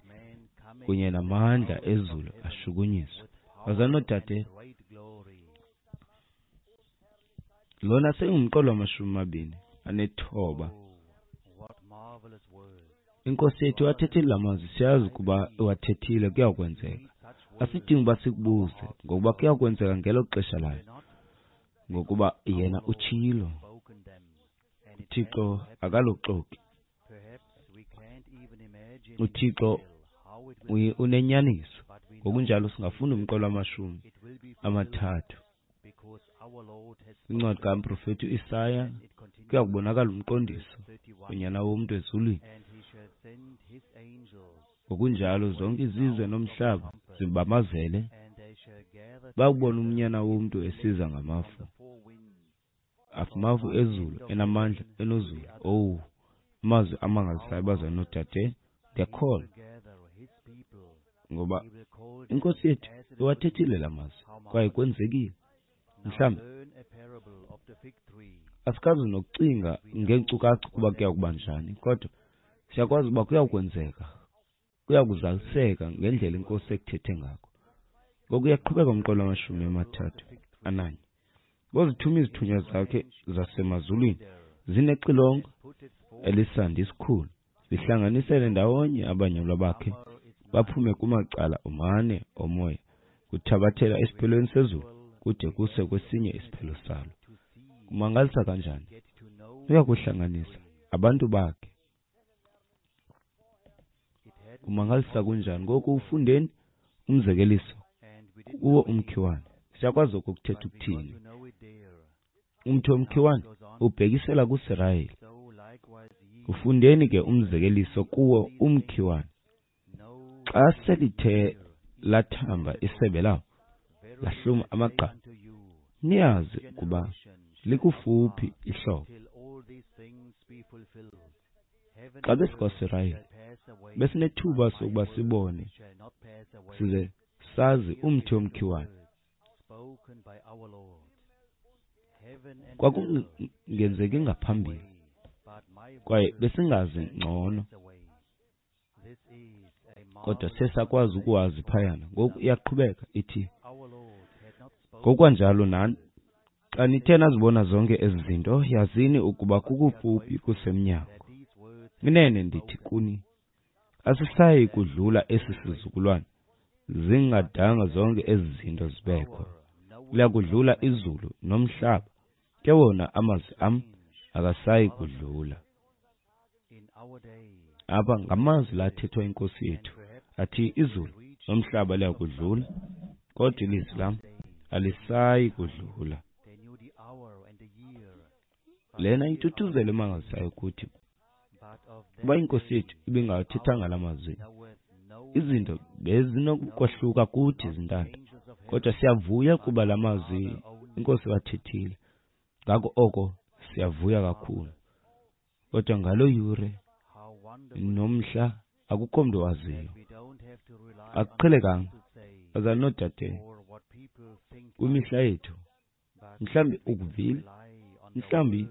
[SPEAKER 2] kunye namandla ezulu ashukunyiswe. Bazalwane noodade, lona seyingumqolo wama-29. INkosi yethu iwathethile la mazwi, siyazi ukuba iwathethile, kuyakwenzeka. Asidingi uba sikubuze, ngokuba kuyakwenzeka ngelo xesha layo, ngokuba yena utshilo. uThixo akaloxoki. uThixo unenyaniso. Ngokunjalo singafunda umqolo wama-30. Incwadi kamprofeti uIsaya kuya kubonakala umqondiso unyana womntu ezulwini. Ngokunjalo zonke izizwe nomhlaba zibamazele, bakubona umnyana womntu esiza ngamafu, amafu ezulu enamandla enozulu. Owu, amazwi amangalisayo bazalwane noodade, ndiyakholwa ngoba iNkosi yethu iwathethile la mazwi kwaye kwenzekile. Mhlawumbi asikazi nokucinga ngeenkcukacha ukuba kuya kuba njani, kodwa siyakwazi uba kuya kwenzeka, kuya kuzaliseka ngendlela iNkosi ekuthethe ngako. Ngoku uyaqhubeka umqolo wama-31. Ngozithuma izithunywa zakhe zasemazulwini zinexilongo elisandi isikhulu, zihlanganisele ndawonye abanyulwa bakhe baphume kumacala omane omoya, kuthabathela esiphelweni sezulu kude kuse kwesinye isiphelo salo. Kumangalisa kanjani! Uya kuhlanganisa abantu bakhe. Kumangalisa kunjani! Ngoku ufundeni umzekeliso kuwo umkhiwane. Siyakwazi oko kuthetha ukuthini. Umthi womkhiwane ubhekisela kuSirayeli. Ufundeni ke umzekeliso kuwo umkhiwane. Xa selithe lathamba isebe lawo, lahluma amagqabi, niyazi ukuba likufuphi ihlobo. Xa besikwaSirayeli, besinethuba sokuba sibone size sazi umthi womkhiwane. Kwakungenzeki ngaphambili, kwaye besingazi ngcono, kodwa sesakwazi ukuwazi phayana. Ngoku iyaqhubeka ithi, ngokwanjalo nani, xa nithe nazibona zonke ezi zinto, yazini ukuba kukufuphi kusemnyango. Inene ndithi kuni, asisayi kudlula esi sizukulwana zingadanga zonke ezi zinto zibekho. Liya kudlula izulu nomhlaba, ke wona amazwi am akasayi kudlula. Apha ngamazwi lathethwa iNkosi yethu, athi izulu nomhlaba liya kudlula, kodwa ilizwi lam alisayi kudlula. Lena intuthuzelo emangalisayo kuthi, uba iNkosi yethu ibingawathethanga la mazwi, izinto bezinokwahluka kuthi zintanda. Kodwa siyavuya kuba la mazwi iNkosi iwathethile. Ngako oko siyavuya kakhulu. Kodwa ngaloo yure nomhla akukho mntu waziyo. Akuqhelekanga, bazalwane noodade. Kwimihla yethu, mhlawumbi ukuvile, mhlawumbi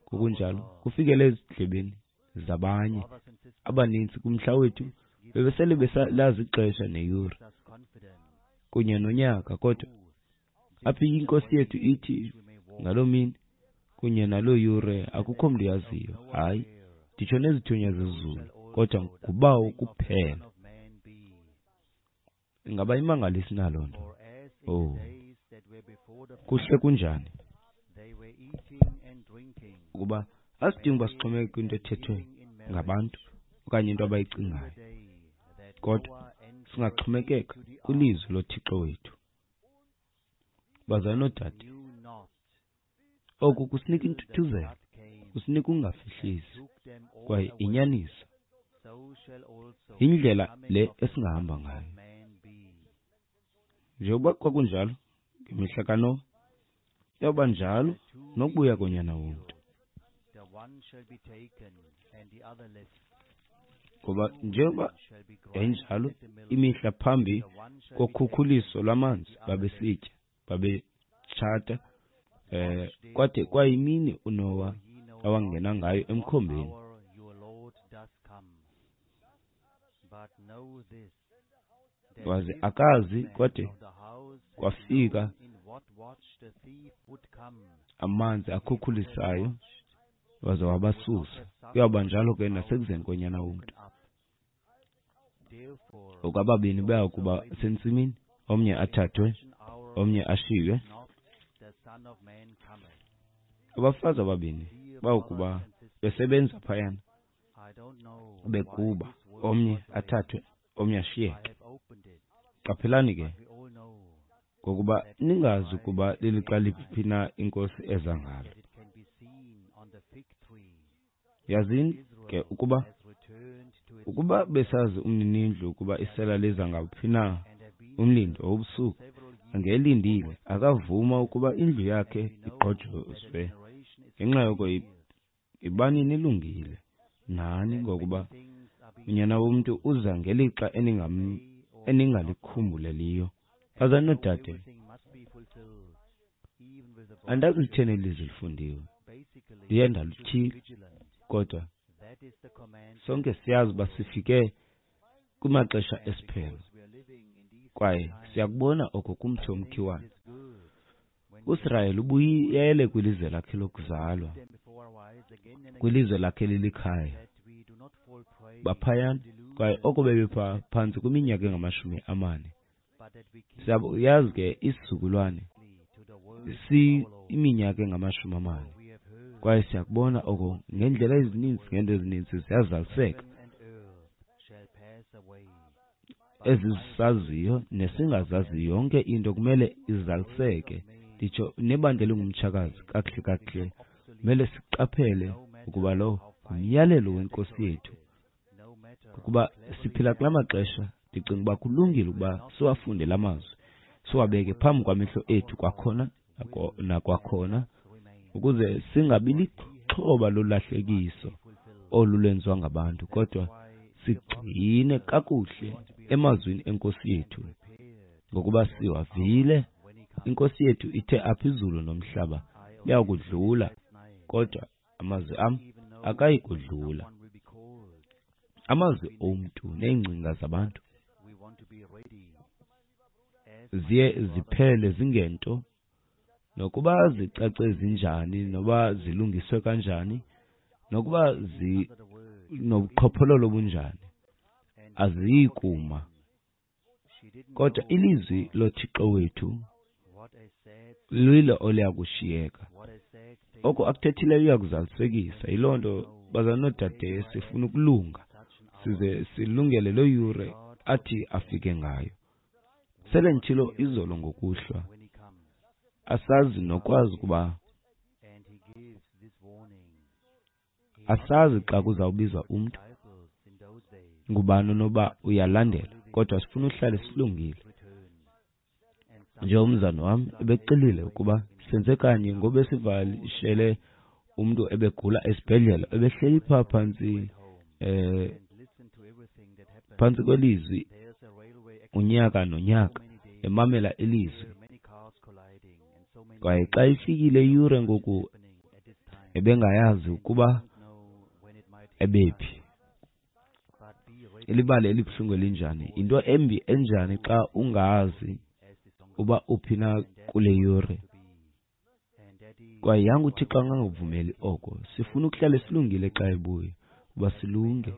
[SPEAKER 2] ngokunjalo kufikele ezindlebeni zabanye abaninzi kumhla wethu bebesele besalazi ixesha neyure kunye nonyaka, kodwa apha iNkosi yethu ithi ngaloo mini kunye naloo yure akukho mntu yaziyo, hayi, nditsho nezithunywa zezulu, kodwa nguBawo kuphela. Ingaba imangalisi na loo nto? Oh, kuhle kunjani ukuba asidingi uba sixhomekeke kwinto ethethwe ngabantu okanye into abayicingayo, kodwa singaxhomekeka kwilizwi loThixo wethu. Bazalwane noodade, oku kusinika intuthuzelo, kusinika ukungafihlisi, kwaye inyaniso yindlela le esingahamba ngayo. Njengoba kwakunjalo ngemihla kaNowa, iyawuba njalo nokubuya koNyana woMntu. Ngoba njengoba yayinjalo imihla phambi kokhukhuliso lwamanzi, babesitya, babetshata, kwade kwayimini uNowa awangena ngayo emkhombeni. Waze akazi kwade kwafika amanzi akhukhulisayo, waze wabasusa. Kuyawuba njalo ke nasekuzeni koNyana woMntu. Ngoku ababini baya kuba sentsimini, omnye athathwe, omnye ashiywe. Abafazi ababini bawukuba besebenza phayana, bekuba omnye athathwe, omnye ashiyeke. Qaphelani ke, ngokuba ningazi ukuba lilixa liphi na iNkosi eza ngalo. Yazini ke ukuba besazi umninindlu ukuba isela liza ngawuphi na umlindo wobusuku, angelindile akavuma ukuba indlu yakhe igqojozwe. Ngenxa yoko yibani nilungile nani, ngokuba uNyana woMntu uza ngelixa eningalikhumbuleliyo. Bazalwane noodade, andazi litheni eli lizwi lifundiwe, ndiye ndalutyhila, kodwa sonke siyazi uba sifike kumaxesha esiphelo, kwaye siyakubona oko kumthi womkhiwane. uSirayeli ubuyele kwilizwe lakhe lokuzalwa, kwilizwe lakhe lilikhaya. Baphayana, kwaye oko bebepha phantsi kwiminyaka engama-40. Siyayazi ke isizukulwane si iminyaka engama-40, kwaye siyakubona oko ngeendlela ezininzi, ngeento ezininzi ziyazaliseka ezisaziyo nesingazaziyo. Yonke into kumele izaliseke. Nditsho nebandla elingumtshakazi kakuhle kakuhle, kumele siqaphele ukuba lo ngumyalelo weNkosi yethu. Ukuba siphila kula maxesha, ndicinga uba kulungile ukuba siwafunde la mazwi, siwabeke phambi kwamehlo ethu kwakhona nakwakhona, ukuze singabi lixhoba lolahlekiso olu lwenziwa ngabantu, kodwa sigcine kakuhle emazwini eNkosi yethu, ngokuba siwavile. INkosi yethu ithe apha izulu nomhlaba liyakudlula, kodwa amazwi am akayi kudlula. Amazwi omntu neengcinga zabantu ziye ziphele zingento, nokuba zicace zinjani, noba zilungiswe kanjani, nokuba zinobuqhophololo obunjani, aziyi kuma. Kodwa ilizwi loThixo wethu lilo oliya kushiyeka. Oko akuthethileyo uya kuzalisekisa. Yiloo nto, bazalwane noodade, sifuna ukulunga size silungele loo yure athi afike ngayo. Sele nditshilo izolo ngokuhlwa, asazi nokwazi ukuba asazi xa kuzawubizwa umntu ngubani onoba uyalandela, kodwa sifuna uhlale silungile. Njengomzana wam ebexelile ukuba senze kanye ngoba esivalishele umntu ebegula esibhedlele, ebehleli phaa phantsi phantsi kwelizwi unyaka nonyaka, emamela ilizwi. Kwaye xa ifikile iyure ngoku ebengayazi ukuba ebephi. Ilibali elibuhlungu elinjani, yinto embi enjani xa ungazi uba uphi na kule yure. Kwaye yanga uThixo angangavumeli oko. Sifuna ukuhlala silungile xa ebuya, uba silunge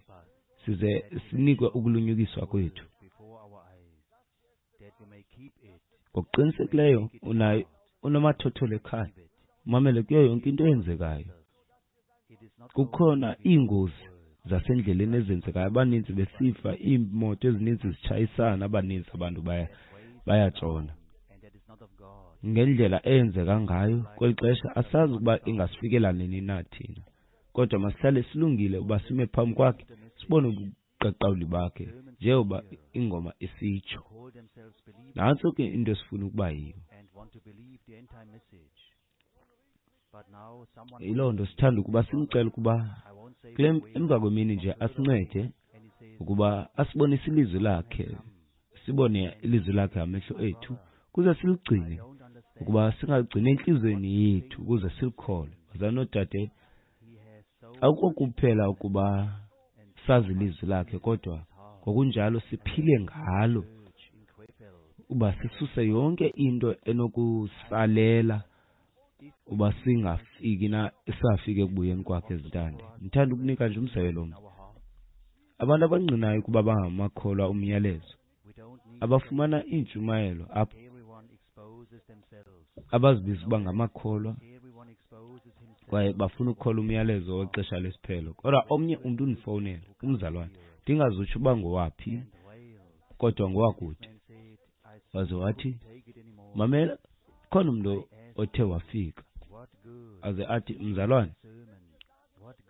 [SPEAKER 2] size sinikwe ukulunyukiswa kwethu. Ngokuqinisekileyo unayo unomathotholo ekhaya, umamele kuyo yonke into eyenzekayo. Kukhona iingozi zasendleleni ezenzekayo, abaninzi besifa, iimoto ezininzi zitshayisana, abaninzi abantu bayatshona. Ngendlela eyenzeka ngayo kweli xesha asazi ukuba ingasifikela nini na thina, kodwa masihlale silungile uba sime phambi kwakhe sibone ubuqaqawuli bakhe njengoba ingoma isitsho. Nantso ke into esifuna ukuba yiyo. Yiloo nto sithanda ukuba simcele ukuba kule emva kwemini nje asincede ukuba asibonise ilizwi lakhe, sibone ilizwi lakhe ngamehlo ethu ukuze siligcine, ukuba singaligcini entliziyweni yethu ukuze silikholwe. Bazalwane noodade, akukho kuphela ukuba sazi ilizwi lakhe, kodwa ngokunjalo siphile ngalo, uba sisuse yonke into enokusalela uba singafiki na safika ekubuyeni kwakhe ezintande. Ndithanda ukunika nje umzekelo omnye. Abantu abangqinayo ukuba bangamakholwa umyalezo, abafumana iintshumayelo apho, abazibiza uba ngamakholwa kwaye bafuna ukukholwa umyalezo wexesha lesiphelo. Kodwa omnye umntu undifowunela, umzalwane, ndingazutsho uba ngowaphi, kodwa ngowakude. Waze wathi, mamela, khona umntu othe wafika aze athi, mzalwane,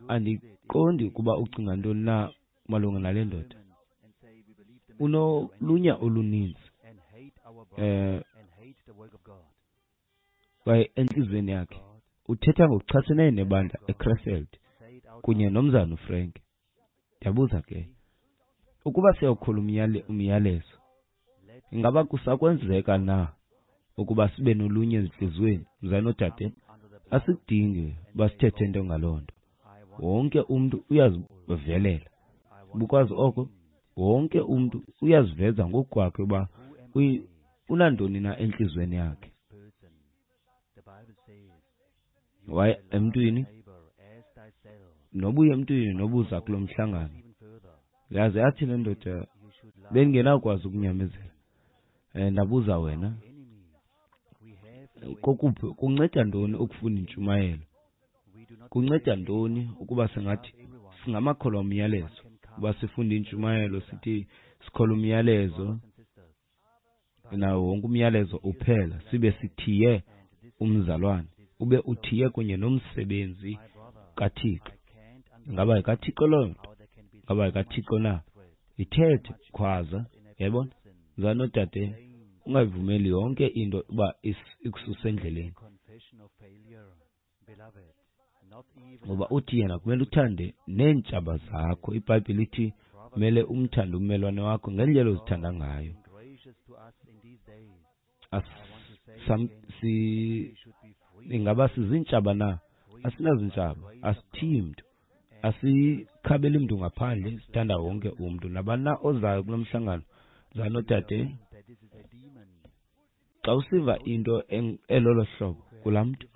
[SPEAKER 2] andiqondi ukuba ucinga ntoni na malunga nale ndoda. Unolunya oluninzi kwaye entliziyweni yakhe uthetha ngokuchaseneyo nebandla eKrefeld kunye nomzana uFrank. Ndiyabuza ke, ukuba siyawukholwa umyalezo, ingaba kusakwenzeka na ukuba sibe nolunye ezintliziyweni? Mzalwane noodade, asikudingi uba sithethe nto ngaloo nto. Wonke umntu uyazivelela. Ubukwazi oko? Wonke umntu uyaziveza ngokukwakhe uba unantoni na entliziyweni yakhe. Waye emntwini, nobuya emntwini nobuza kulo mhlangano. Yaze yathi le ndoda, bendingenakwazi ukunyamezela. Ndabuza wena, kokuphi kunceda ntoni ukufunda intshumayelo? Kunceda ntoni ukuba singathi singamakholwa umyalezo, uba sifunde intshumayelo sithi sikholwa umyalezo nawo wonke umyalezo uphela, sibe sithiye umzalwane, ube uthiye kunye nomsebenzi kaThixo. Ingaba yikaThixo loo nto? Ingaba yikaThixo na? Ithethe, khwaza, yayibona? Mzalwane noodade, ungayivumeli yonke into uba ikususe endleleni. Ngoba uthi yena kumele uthande neentshaba zakho. IBhayibhile ithi kumele umthande ummelwane wakho ngendlela ozithanda ngayo. Ingaba sizintshaba na? Asinazintshaba, asithiyi mntu, asikhabeli mntu ngaphandle, sithanda wonke umntu. Nabani na ozayo kulo mhlangano, mzalwane noodade, xa usiva into elolo hlobo kulaa mntu,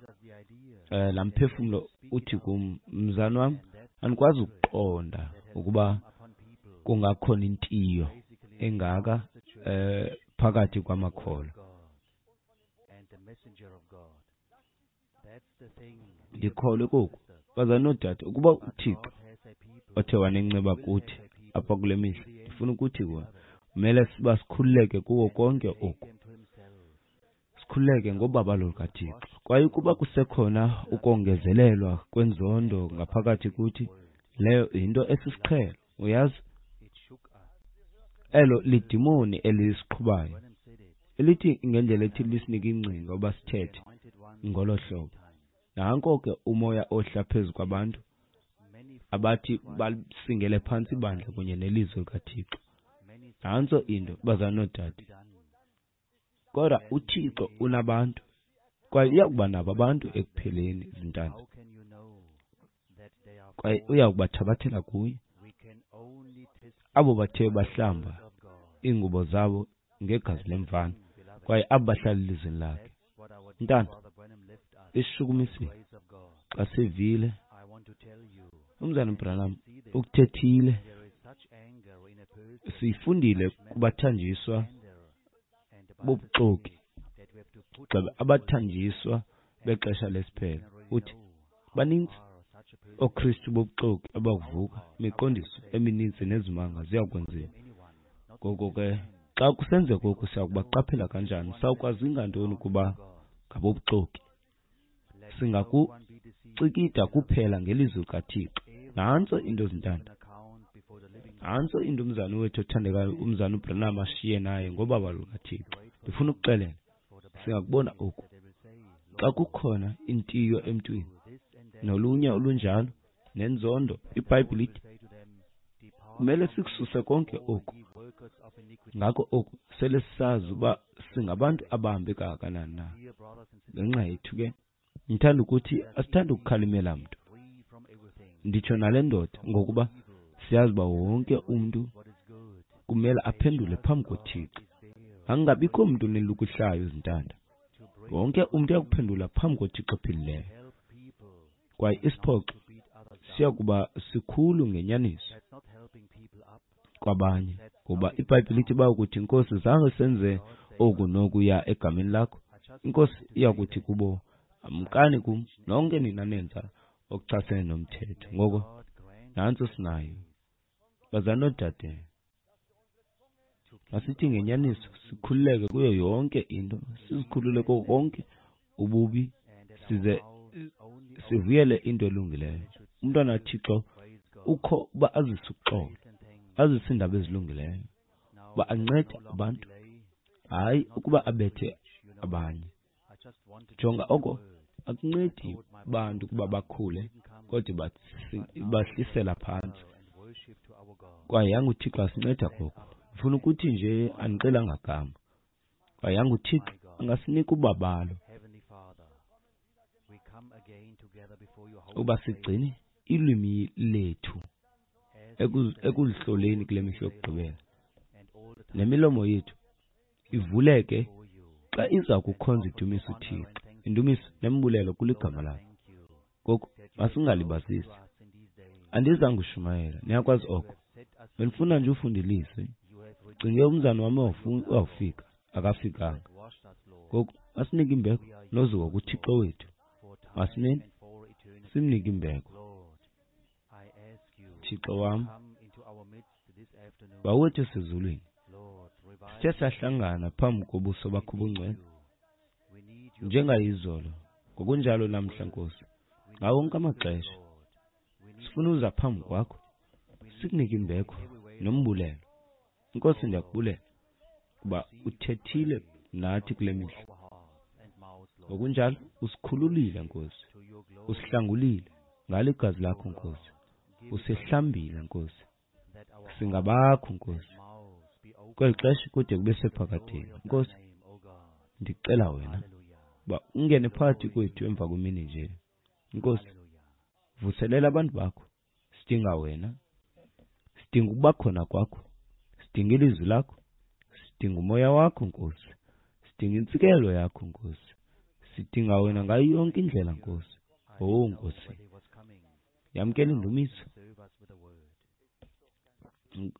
[SPEAKER 2] laa mphefumlo uthi kum, mzalwane wam, andikwazi ukuqonda ukuba kungakhona intiyo engaka phakathi kwamakholwa. Ndikholwe koku, bazalwane noodade, ukuba uThixo othe wanenceba kuthi apha kule mihla, ndifuna ukuthi kuwe, kumele siba sikhululeke kuwo konke oku. Sikhululeke ngobabalo lukaThixo. Kwaye ukuba kusekhona ukongezelelwa kwenzondo ngaphakathi kuthi, leyo yinto esisiqhelo, uyazi? Elo lidimoni elisiqhubayo, elithi ngendlela ethi lisinike ingcinga uba sithethe ngolo hlobo. Nanko ke umoya ohla phezu kwabantu abathi basingele phantsi ibandla kunye nelizwi likaThixo. Nantso into, bazalwane noodade. Kodwa uThixo unabantu, kwaye uya kuba nabo abantu ekupheleni, zintanda, kwaye uya kubathabathela kuye abo bathe bahlamba iingubo zabo ngegazi lemvana, kwaye abo bahlala elizweni lakhe. Mntana, isishukumisile xa sivile umzana Branham ukuthethile. Siyifundile kubathanjiswa bobuxoki, gxebe abathanjiswa bexesha lesiphelo. Uthi baninzi ooKristu bobuxoki abakuvuka, imiqondiso emininzi nezimanga ziyakwenziwa. Ngoko ke xa kusenzeka oku, siya kubaqaphela kanjani? Sawukwazi ngantoni ukuba ngabobuxoki? Singakucikida kuphela ngelizwi likaThixo. Nantso into, zintanda. Nantso into umzana wethu othandekayo, umzana uBranham, ashiye naye ngobabalo lukaThixo. Ndifuna ukuxelela, singakubona oku. Xa kukhona intiyo emntwini nolunya olunjalo nenzondo, iBhayibhile ithi kumele sikususe konke oku. Ngako oku sele sisazi uba singabantu abahambe kangakanani na. Ngenxa yethu ke, ndithanda ukuthi asithandi ukukhalimela mntu, nditsho nale ndoda, ngokuba siyazi uba wonke umntu kumele aphendule phambi koThixo. Angabikho mntu unelukuhlayo, zintanda. Wonke umntu uyakuphendula phambi koThixo ophilileyo. Kwaye isiphoxo siya kuba sikhulu ngenyaniso kwabanye, ngoba iBhayibhile ithi bayokuthi, Nkosi, zange senze oku nokuya egameni lakho. INkosi iyakuthi kubo, amkani kum nonke nina nenza okuchasene nomthetho. Ngoko nantso sinayo, bazalwane noodade. Masithi ngenyaniso sikhululeke kuyo yonke into, sizikhulule kuko konke ububi, size sivuyele into elungileyo. Umntwana kaThixo ukho uba azise uxolo, azise iindaba ezilungileyo, uba ancede abantu, hayi ukuba abethe abanye. Jonga, oko akuncedi bantu ukuba bakhule, kodwa ibahlisela phantsi. Kwaye yanguThixo asinceda koko. Ndifuna ukuthi nje andixelanga gama. Kwaye yanguThixo angasinika ubabalo uba sigcine ilwimi lethu ekuzihloleni kule mihla yokugqibela, nemilomo yethu ivuleke xa iza kukhonza idumisa uThixo. Indumiso nembulelo kuligama lakho. Ngoku masingalibazisi. Andizange ushumayela, niyakwazi oko. Bendifuna nje ufunda ilizwi. Cinge umzana wam wawufika, akafikanga. Ngoku masinike imbeko nozuko kuThixo wethu. Masimeni simnike imbeko. Thixo wam, Bawethu osezulwini, sithe sahlangana phambi kobuso bakho obungcwele njengayizolo, ngokunjalo namhla, Nkosi, ngawo wonke amaxesha. Sifuna uza phambi kwakho sikunike imbeko nombulelo. Nkosi, ndiyakubulela kuba uthethile nathi kule mihla. Ngokunjalo usikhululile, Nkosi, usihlangulile ngalo igazi lakho, Nkosi. Usihlambile, Nkosi. Singabakho, Nkosi, kweli xesha kude kube sephakadeni. Nkosi, ndicela wena uba ungene phakathi kwethu emva kwemini nje. Nkosi, vuselela abantu bakho. Sidinga wena, sidinga ukuba khona kwakho, sidinga ilizwi lakho, sidinga umoya wakho, Nkosi, sidinga intsikelo yakho, Nkosi. Sidinga wena ngayo yonke indlela, Nkosi. Oh Nkosi, yamkela indumiso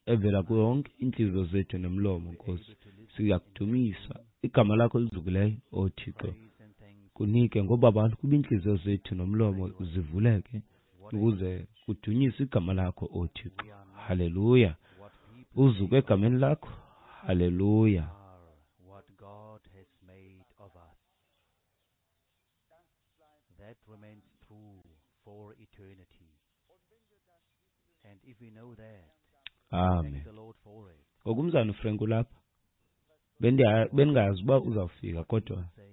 [SPEAKER 2] evela kuyo yonke iintliziyo zethu nomlomo, Nkosi. Siyakudumisa igama lakho elizukileyo, oh Thixo. Kunike ngobabalo kuba iintliziyo zethu nomlomo zivuleke ukuze kudunyiswe igama lakho, oh Thixo. Haleluya. Uzuko egameni lakho. Haleluya.
[SPEAKER 1] That remains true for eternity. And if we know that,
[SPEAKER 2] Amen.
[SPEAKER 1] thank the Lord for it.
[SPEAKER 2] Ngoku umzana uFrank ulapha. Bendingazi uba uzawufika, kodwa
[SPEAKER 1] Say,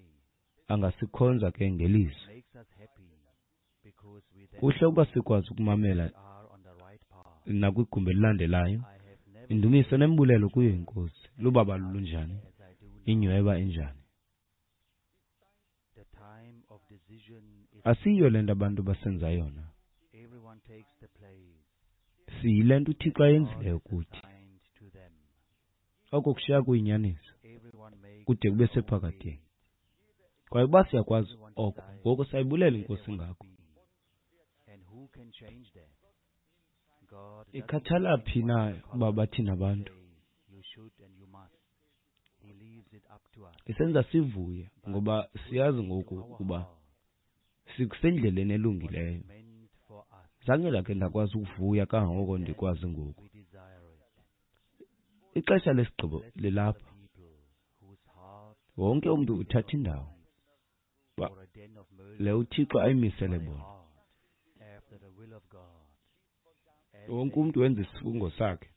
[SPEAKER 2] angasikhonza ke ngelizwi.
[SPEAKER 1] makes us happy because we then
[SPEAKER 2] Kuhle ukuba sikwazi ukumamela
[SPEAKER 1] are on the right path.
[SPEAKER 2] nakwigumbi elilandelayo.
[SPEAKER 1] I have never
[SPEAKER 2] Indumiso nembulelo kuyo iNkosi. Lubabalo lunjani?
[SPEAKER 1] as I do now.
[SPEAKER 2] Inyweba enjani? Asiyiyo le nto abantu basenza yona. Siyile nto uThixo ayenzileyo kuthi. Oko kushiya kuyinyaniso kude kube sephakadeni. Kwaye uba siyakwazi oko, ngoko sayibulela iNkosi ngako. Ikhathala phi na uba bathini abantu? Isenza sivuye ngoba siyazi ngoku ukuba sikusendleleni elungileyo. Zange ndakhe ndakwazi ukuvuya kangangoko ndikwazi ngoku. Ixesha lesigqibo lilapha. Wonke umntu uthatha indawo le uThixo ayimisele bona. Wonke umntu wenza isifungo sakhe.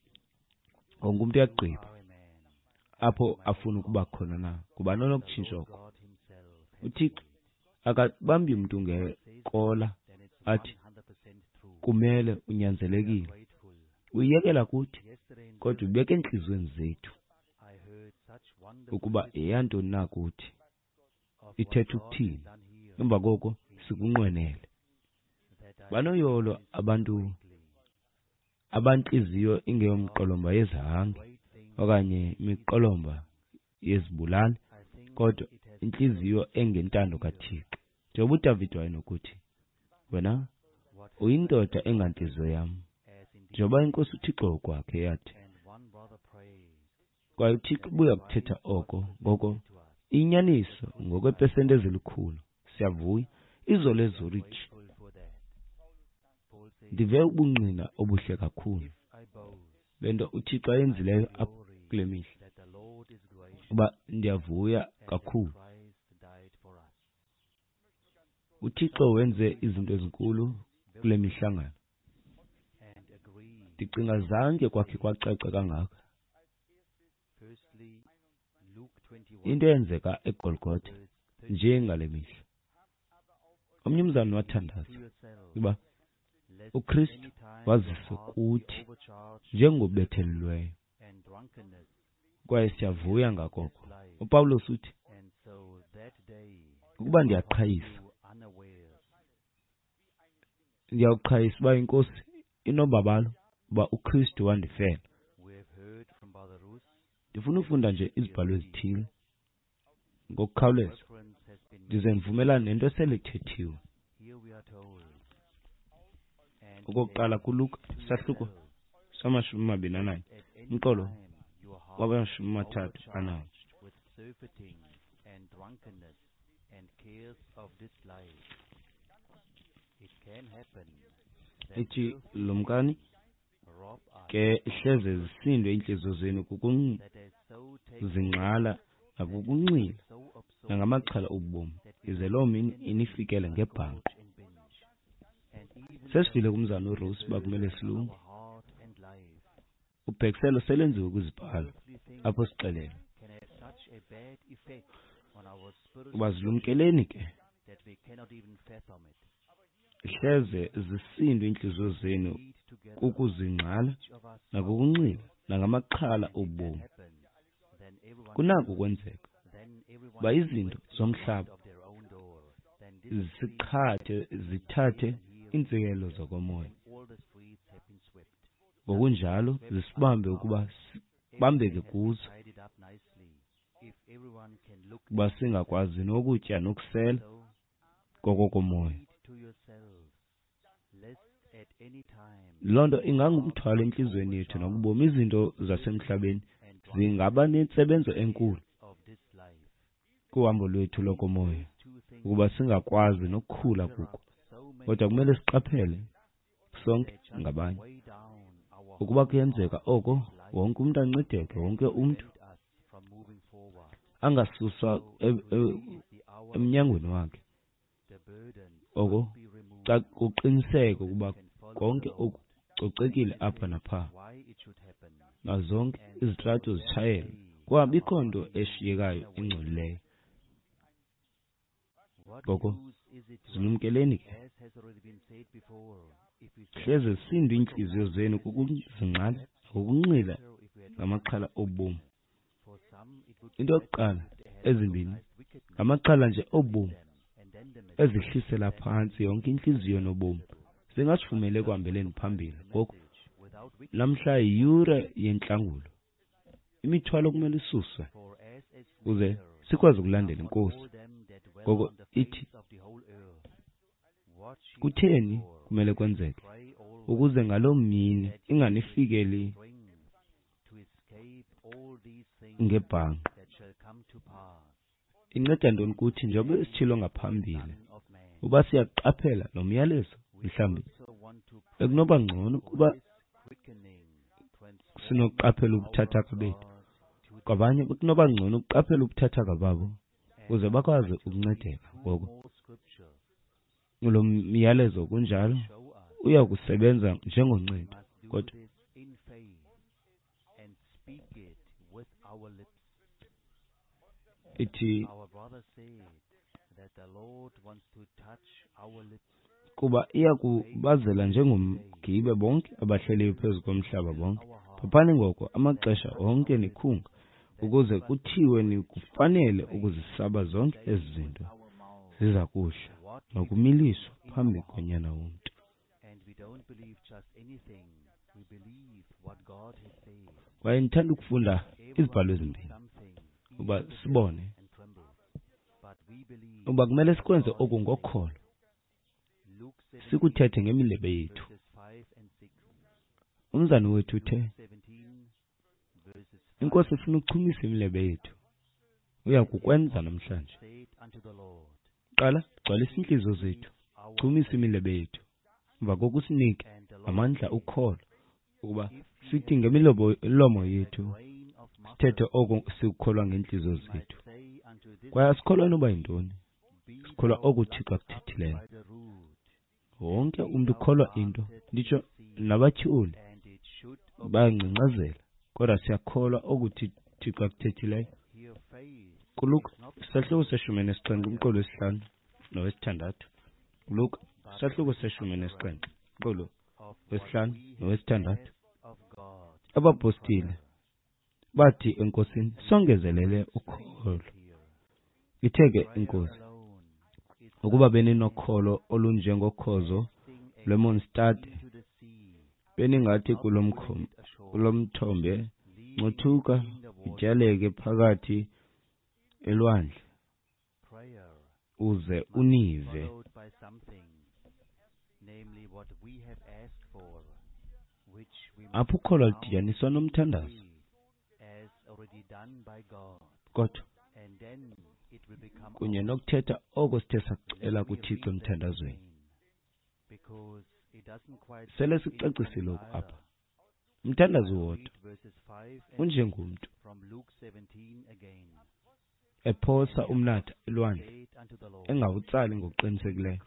[SPEAKER 2] Wonke umntu uyagqiba apho afuna ukuba khona na. Ngubani onokutshintsha oko? UThixo akabambi mntu ngekola athi kumele unyanzelekile. Uyiyekela kuthi, kodwa ubeka entliziyweni zethu ukuba yeyantoni na kuthi, ithetha ukuthini. Emva koko sikunqwenele. Banoyolo abantu abantliziyo ingeyomqolomba yezihange okanye imiqolomba yezibulali, kodwa intliziyo engentando kaThixo. Njengoba uDavide wayenokuthi, wena uyindoda engantliziyo yam, njengoba iNkosi uThixo ngokwakhe yathi. Kwaye uThixo ubuya kuthetha oko, ngoko inyaniso ngokweepesenti ezilikhulu. Siyavuya. Izolo eZurich ndive ubungqina obuhle kakhulu bento uThixo ayenzileyo apha kule mihla, uba ndiyavuya kakhulu. UThixo wenze izinto ezinkulu kule mihlangano. Ndicinga zange kwakhe kwacaca kangaka into eyenzeka eGolgotha njengale mihla. Omnye umzalwane wathandaza uba uKristu waziswa kuthi njengobethelelweyo, kwaye siyavuya ngakoko. UPawulos uthi, ukuba ndiyaqhayisa, ndiyawuqhayisa uba iNkosi inobabalo uba uKristu wandifela. Ndifuna ufunda nje izibhalo ezithile ngokukhawuleza, ndize ndivumelane nento esele ithethiwe. Okokuqala kuLuka isahluko sama-21, umqolo wama-34. Ithi, lumkani ke hleze zisindwe iintliziyo zenu kukuzingxala nakukunxila nangamaxhala obomi, ize loo mini inifikele ngebhanqo. Sesivile kumzana uRose uba kumele silunge. Ubhekiselo selenziwe kwizibhalo apho sixelelwa uba zilumkeleni ke hleze zisindwe iintliziyo zenu kukuzingxala nakukunxila nangamaxhala obomi. Kunako ukwenzeka uba izinto zomhlaba zisiqhathe zithathe iintsikelelo zokomoya, ngokunjalo zisibambe ukuba sibambeke kuzo, ukuba singakwazi nokutya nokusela kokokomoya. Loo nto ingangumthwalo entliziyweni yethu nakubomi. Izinto zasemhlabeni zingaba nentsebenzo enkulu kuhambo lwethu lokomoya, ukuba singakwazi nokukhula kuko. Kodwa kumele siqaphele sonke ngabanye ukuba kuyenzeka oko, wonke umntu ancedeke, wonke umntu angasuswa emnyangweni wakhe. Oko kuqiniseke ukuba konke oku kucocekile apha napha, nazonke izitrato zitshayelwe, kungabikho nto eshiyekayo engcolileyo. Ngoko zilumkeleni ke, hleze zisindwe iintliziyo zenu kukuzingxala nakukunxila ngamaxhala obomi. Into yokuqala ezimbini ngamaxhala nje obomi ezihlisela phantsi yonke intliziyo nobomi, zingasivumeli ekuhambeleni phambili. Ngoku namhla yiyure yentlangulo, imithwalo kumele isuswe ukuze sikwazi ukulandela iNkosi. Ngoko ithi, kutheni kumele kwenzeke? Ukuze ngaloo mini inganifikeli ngebhanqa. Inceda ntoni kuthi, njengoba sitshilo ngaphambili, uba siyaqaphela lo myalezo, mhlawumbi bekunoba ngcono ukuba sinokuqaphela ubuthathaka bethu. Kwabanye bekunoba ngcono ukuqaphela ubuthathaka babo ukuze bakwazi ukuncedeka. Ngoko lo myalezo kunjalo uya kusebenza njengoncedo, kodwa ithi kuba iya kubazela njengomgibe bonke abahleliyo phezu komhlaba bonke. Phaphani ngoko amaxesha onke nikhunga, ukuze kuthiwe nikufanele ukuzisaba zonke ezi zinto ziza kuhla nokumiliswa phambi koNyana womntu. Kwaye ndithanda ukufunda izibhalo ezimbini uba sibone uba kumele sikwenze oku ngokholo, sikuthethe ngemilebe yethu. Umzana wethu uthe iNkosi ifuna ukuchumisa imilebe yethu, uya kukwenza namhlanje. Qala, gcwalisa iintliziyo zethu, chumisa imilebe yethu, emva koko usinike amandla ukholo ukuba sithi ngemilomo yethu sithethe oko sikukholwa ngeentliziyo zethu. Kwaye asikholwa noba yintoni, sikholwa oku uThixo akuthethileyo. Wonke umntu ukholwa into, nditsho nabatyholi bayangcangcazela, kodwa siyakholwa oku Thixo akuthethileyo. KuLuka isahluko se-17 umqolo wesihlanu nowesithandathu. Luka isahluko se-17 umqolo wesihlanu nowesithandathu. Abapostile bathi eNkosini, songezelele ukholo. Ithe ke iNkosi, ukuba beninokholo olunjengokhozo lwemonstade, beningathi kulo mthombe, ncothuka utyaleke phakathi elwandle, uze unive. Apho ukholo aludityaniswa nomthandazo, kodwa kunye nokuthetha oko sithe sakucela kuThixo emthandazweni. Sele sikucacisile oku apha. Umthandazo wodwa unjengomntu ephosa umnatha elwandle, engawutsali ngokuqinisekileyo,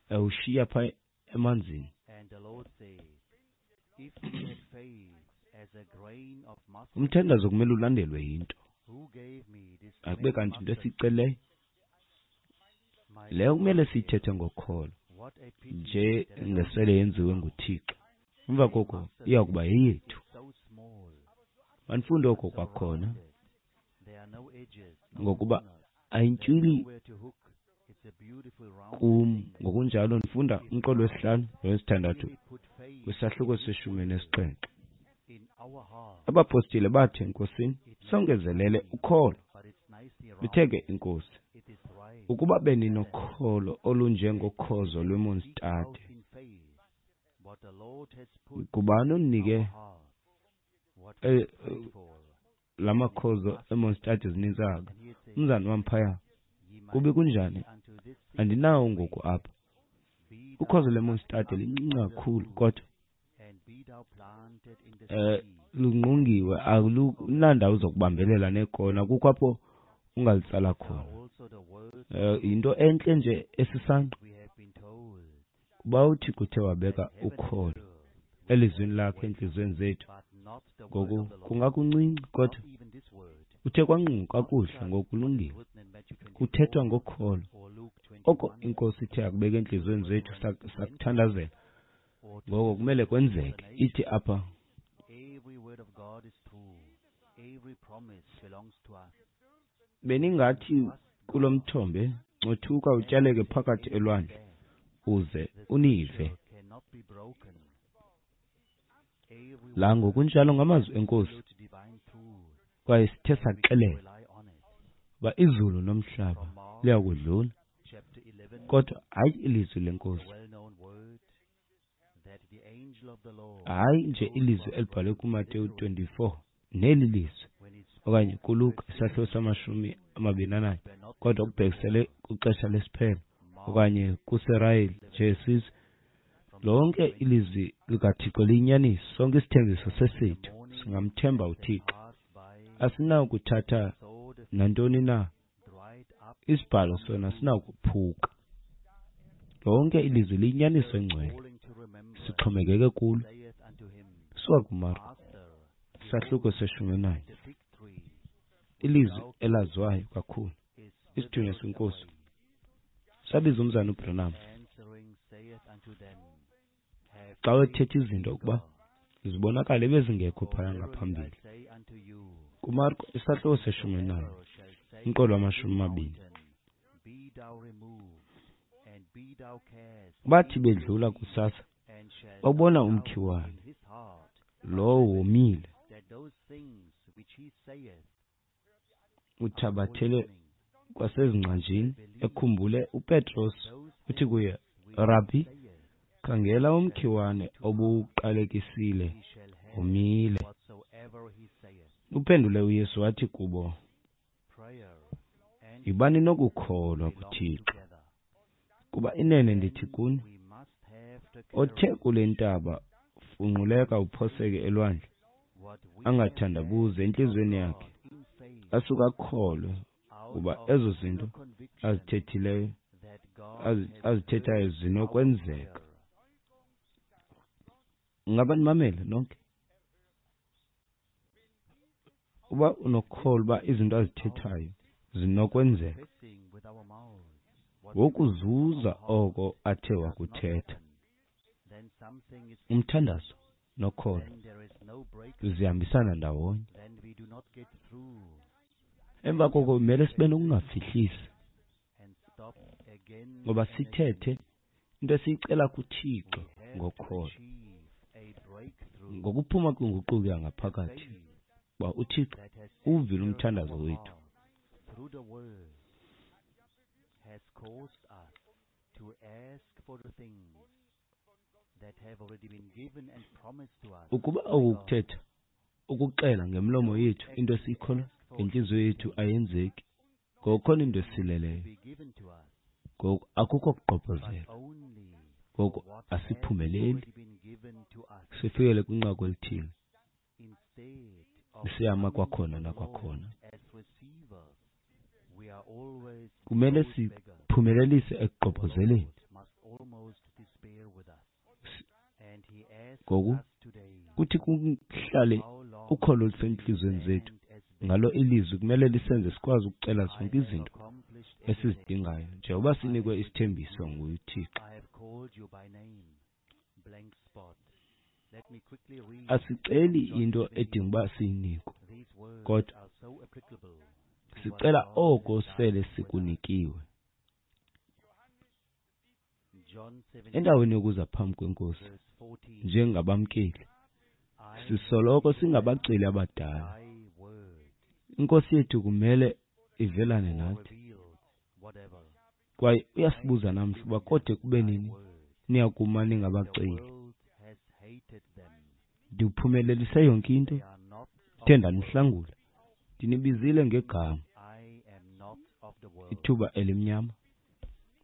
[SPEAKER 2] ewushiya pha emanzini. Umthandazo kumele ulandelwe yinto, akube kanti into esiyicelileyo leyo kumele siyithethe ngokholo nje ngesele yenziwe nguThixo. Emva koko iya kuba yeyethu. Manifunde oko kwakhona, ngokuba ayintyuli kum. Ngokunjalo ndifunda umqolo wesihlanu nowesithandathu kwisahluko se-17. Abapostile bathi eNkosini, songezelele ukholo. Ithe ke iNkosi, ukuba beninokholo olunjengokhozo lwemonstade, ngubani ondinike la makhozo emonstade zininzi kangaka? Umzana wam phaya, kube kunjani? Andinawo ngoku apha. Ukhozo lwemonstade lincinci kakhulu, kodwa lungqungiwe, alunandawo zokubambelela neekona, kukho apho ungalitsala khona. Yinto entle nje esisangqa. Kuba uThixo uthe wabeka ukholo elizwini lakhe entliziyweni zethu, ngoku kungakuncinci, kodwa uthe kwangqungu kakuhle, ngokulungile. Kuthethwa ngokholo. Oko iNkosi ithe yakubeka entliziyweni zethu sakuthandazela, ngoko kumele kwenzeke. Ithi apha, Beningathi kulo mthombe, ncothuka utyaleke phakathi elwandle, uze unive. La ngokunjalo ngamazwi enkosi, kwaye sithe saxelela uba izulu nomhlaba liyakudlula, kodwa hayi ilizwi lenkosi. Hayi nje ilizwi elibhalwe kuMateyu 24 neli lizwi, okanye kuLuka isahluko sama-21, kodwa kubhekisele kwixesha lesiphelo, okanye kuSirayeli nje isizwe. Lonke ilizwi likaThixo liyinyaniso, sonke isithembiso sesethu. Singamthemba uThixo. Asinakuthatha nantoni na, isibhalo sona sinakuphuka. Lonke ilizwi liyinyaniso engcwele, sixhomekeke kulo. Suka kuMarko isahluko se-11, ilizwi elaziwayo kakhulu, isithunywa senkosi sabiza umzana uBranham xa wethetha izinto ukuba zibonakale bezingekho phaya ngaphambili. KuMarko isahluko se-11, umqolo wama-20. Bathi bedlula kusasa, babona umkhiwane lowo womile, uthabathele kwasezingcanjini. Ekhumbule uPetros, uthi kuye, Rabhi, khangela umkhiwane obuwuqalekisile womile. Uphendule uYesu wathi kubo, yibani nokukholwa kuThixo, kuba inene ndithi kuni, othe kule ntaba funquleka uphoseke elwandle, angathandabuzi entliziyweni yakhe, asuke akholwe kuba ezo zinto azithethileyo azithethayo zinokwenzeka. Ngaba nimamele nonke? Uba unokukholwa uba izinto azithethayo zinokwenzeka, ngokuzuza oko athe wakuthetha. Umthandazo nokholo zihambisana ndawonye. Emva koko kumele sibe nokungafihlisi, ngoba sithethe into esiyicela kuThixo ngokholo, ngokuphuma kwinguquko yangaphakathi, uba uThixo uwuvile umthandazo wethu. Ukuba oku kuthetha ukuxela ngemlomo yethu into esiyikholwa ngentliziyo yethu ayenzeki, ngokukhona into esileleyo. Ngoku akukho kugqobhozela, ngoku asiphumeleli, sifikele kwinqaku elithile siyama kwakhona nakwakhona. Kumele siphumelelise ekugqobhozeleni. Ngoku kuthi kuhlale ukholo olusentliziyweni zethu ngalo ilizwi kumele lisenze sikwazi ukucela zonke izinto esizidingayo njengoba sinikwe isithembiso nguThixo. Asiceli into edinga uba siyinikwe, kodwa sicela oko sele sikunikiwe. Endaweni yokuza phambi kwenkosi njengabamkeli, sisoloko singabaceli abadala. Inkosi yethu kumele ivelane nathi, kwaye uyasibuza namhla uba kode kube nini niyakuma ningabaceli. Ndiwuphumelelise yonke into, ndithe ndanihlangula, ndinibizile ngegama. Ithuba elimnyama.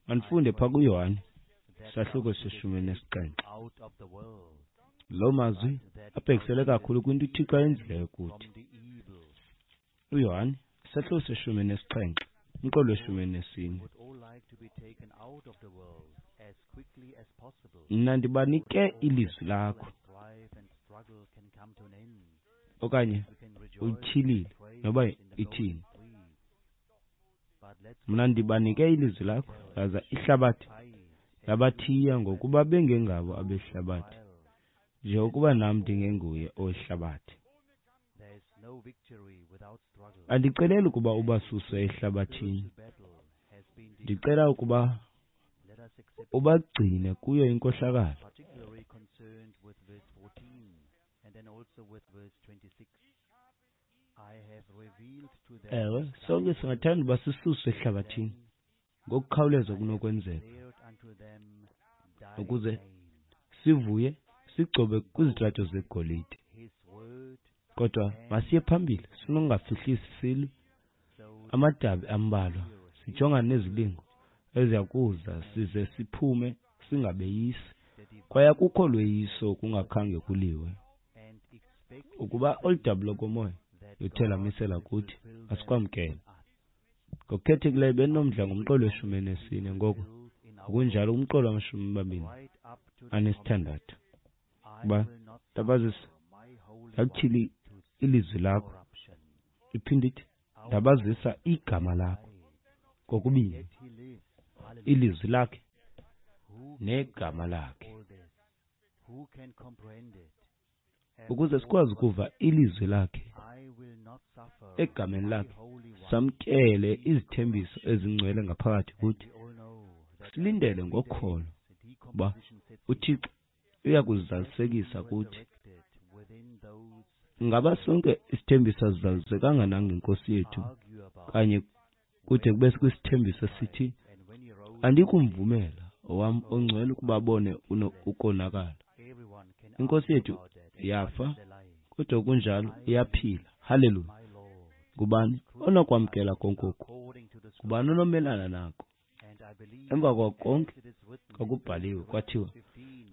[SPEAKER 2] Mandifunde phaa kuYohane isahluko se-17. Loo mazwi abhekisele kakhulu kwinto uThixo ayenzileyo kuthi. uYohane isahluko se-17, umqolo we-14. Mna ndibanike ilizwi lakho, okanye uyityhilile noba ithini. Mna ndibanike ilizwi lakho, laza ihlabathi labathiya ngokuba bengengabo abehlabathi, njengokuba nam ndingenguye owehlabathi. Andiceleli ukuba ubasuse ehlabathini, ndicela ukuba ubagcine kuyo inkohlakalo. Ewe, sonke singathanda uba sisuswe ehlabathini ngokukhawuleza kunokwenzeka, ukuze sivuye sigcobe kwizitrato zegolide. Kodwa masiye phambili, sinokungafihlisi silwe amadabi ambalwa, sijongane nezilingo eziya kuza size siphume singabeyisi. Kwaye akukho lweyiso kungakhange kuliwe. Ukuba olu dabi lokomoya luthe lamisela kuthi, asikwamkele. Ngokukhethekileyo bendinomdla ngomqolo weshumi elinesine, ngoko ngokunjalo kumqolo wamashumi amabini anesithandathu. Kuba ndabazisa, ndakutyhila ilizwi lakho, iphinde ithi ndabazisa igama lakho kokubini, ilizwi lakhe negama lakhe, ukuze sikwazi ukuva ilizwi lakhe egameni lakhe, samkele izithembiso ezingcwele ngaphakathi kuthi, silindele ngokholo uba uThixo uya kuzizalisekisa kuthi. Ngaba sonke isithembiso asizalisekanga nangeNkosi yethu kanye kude kube kwisithembiso sithi, andikumvumela owam ongcwele ukuba abone ukonakala. INkosi yethu yafa, kodwa kunjalo iyaphila. Haleluya! Ngubani onokwamkela konke oku? Ngubani onomelana nako? Emva kwako konke kwakubhaliwe kwathiwa,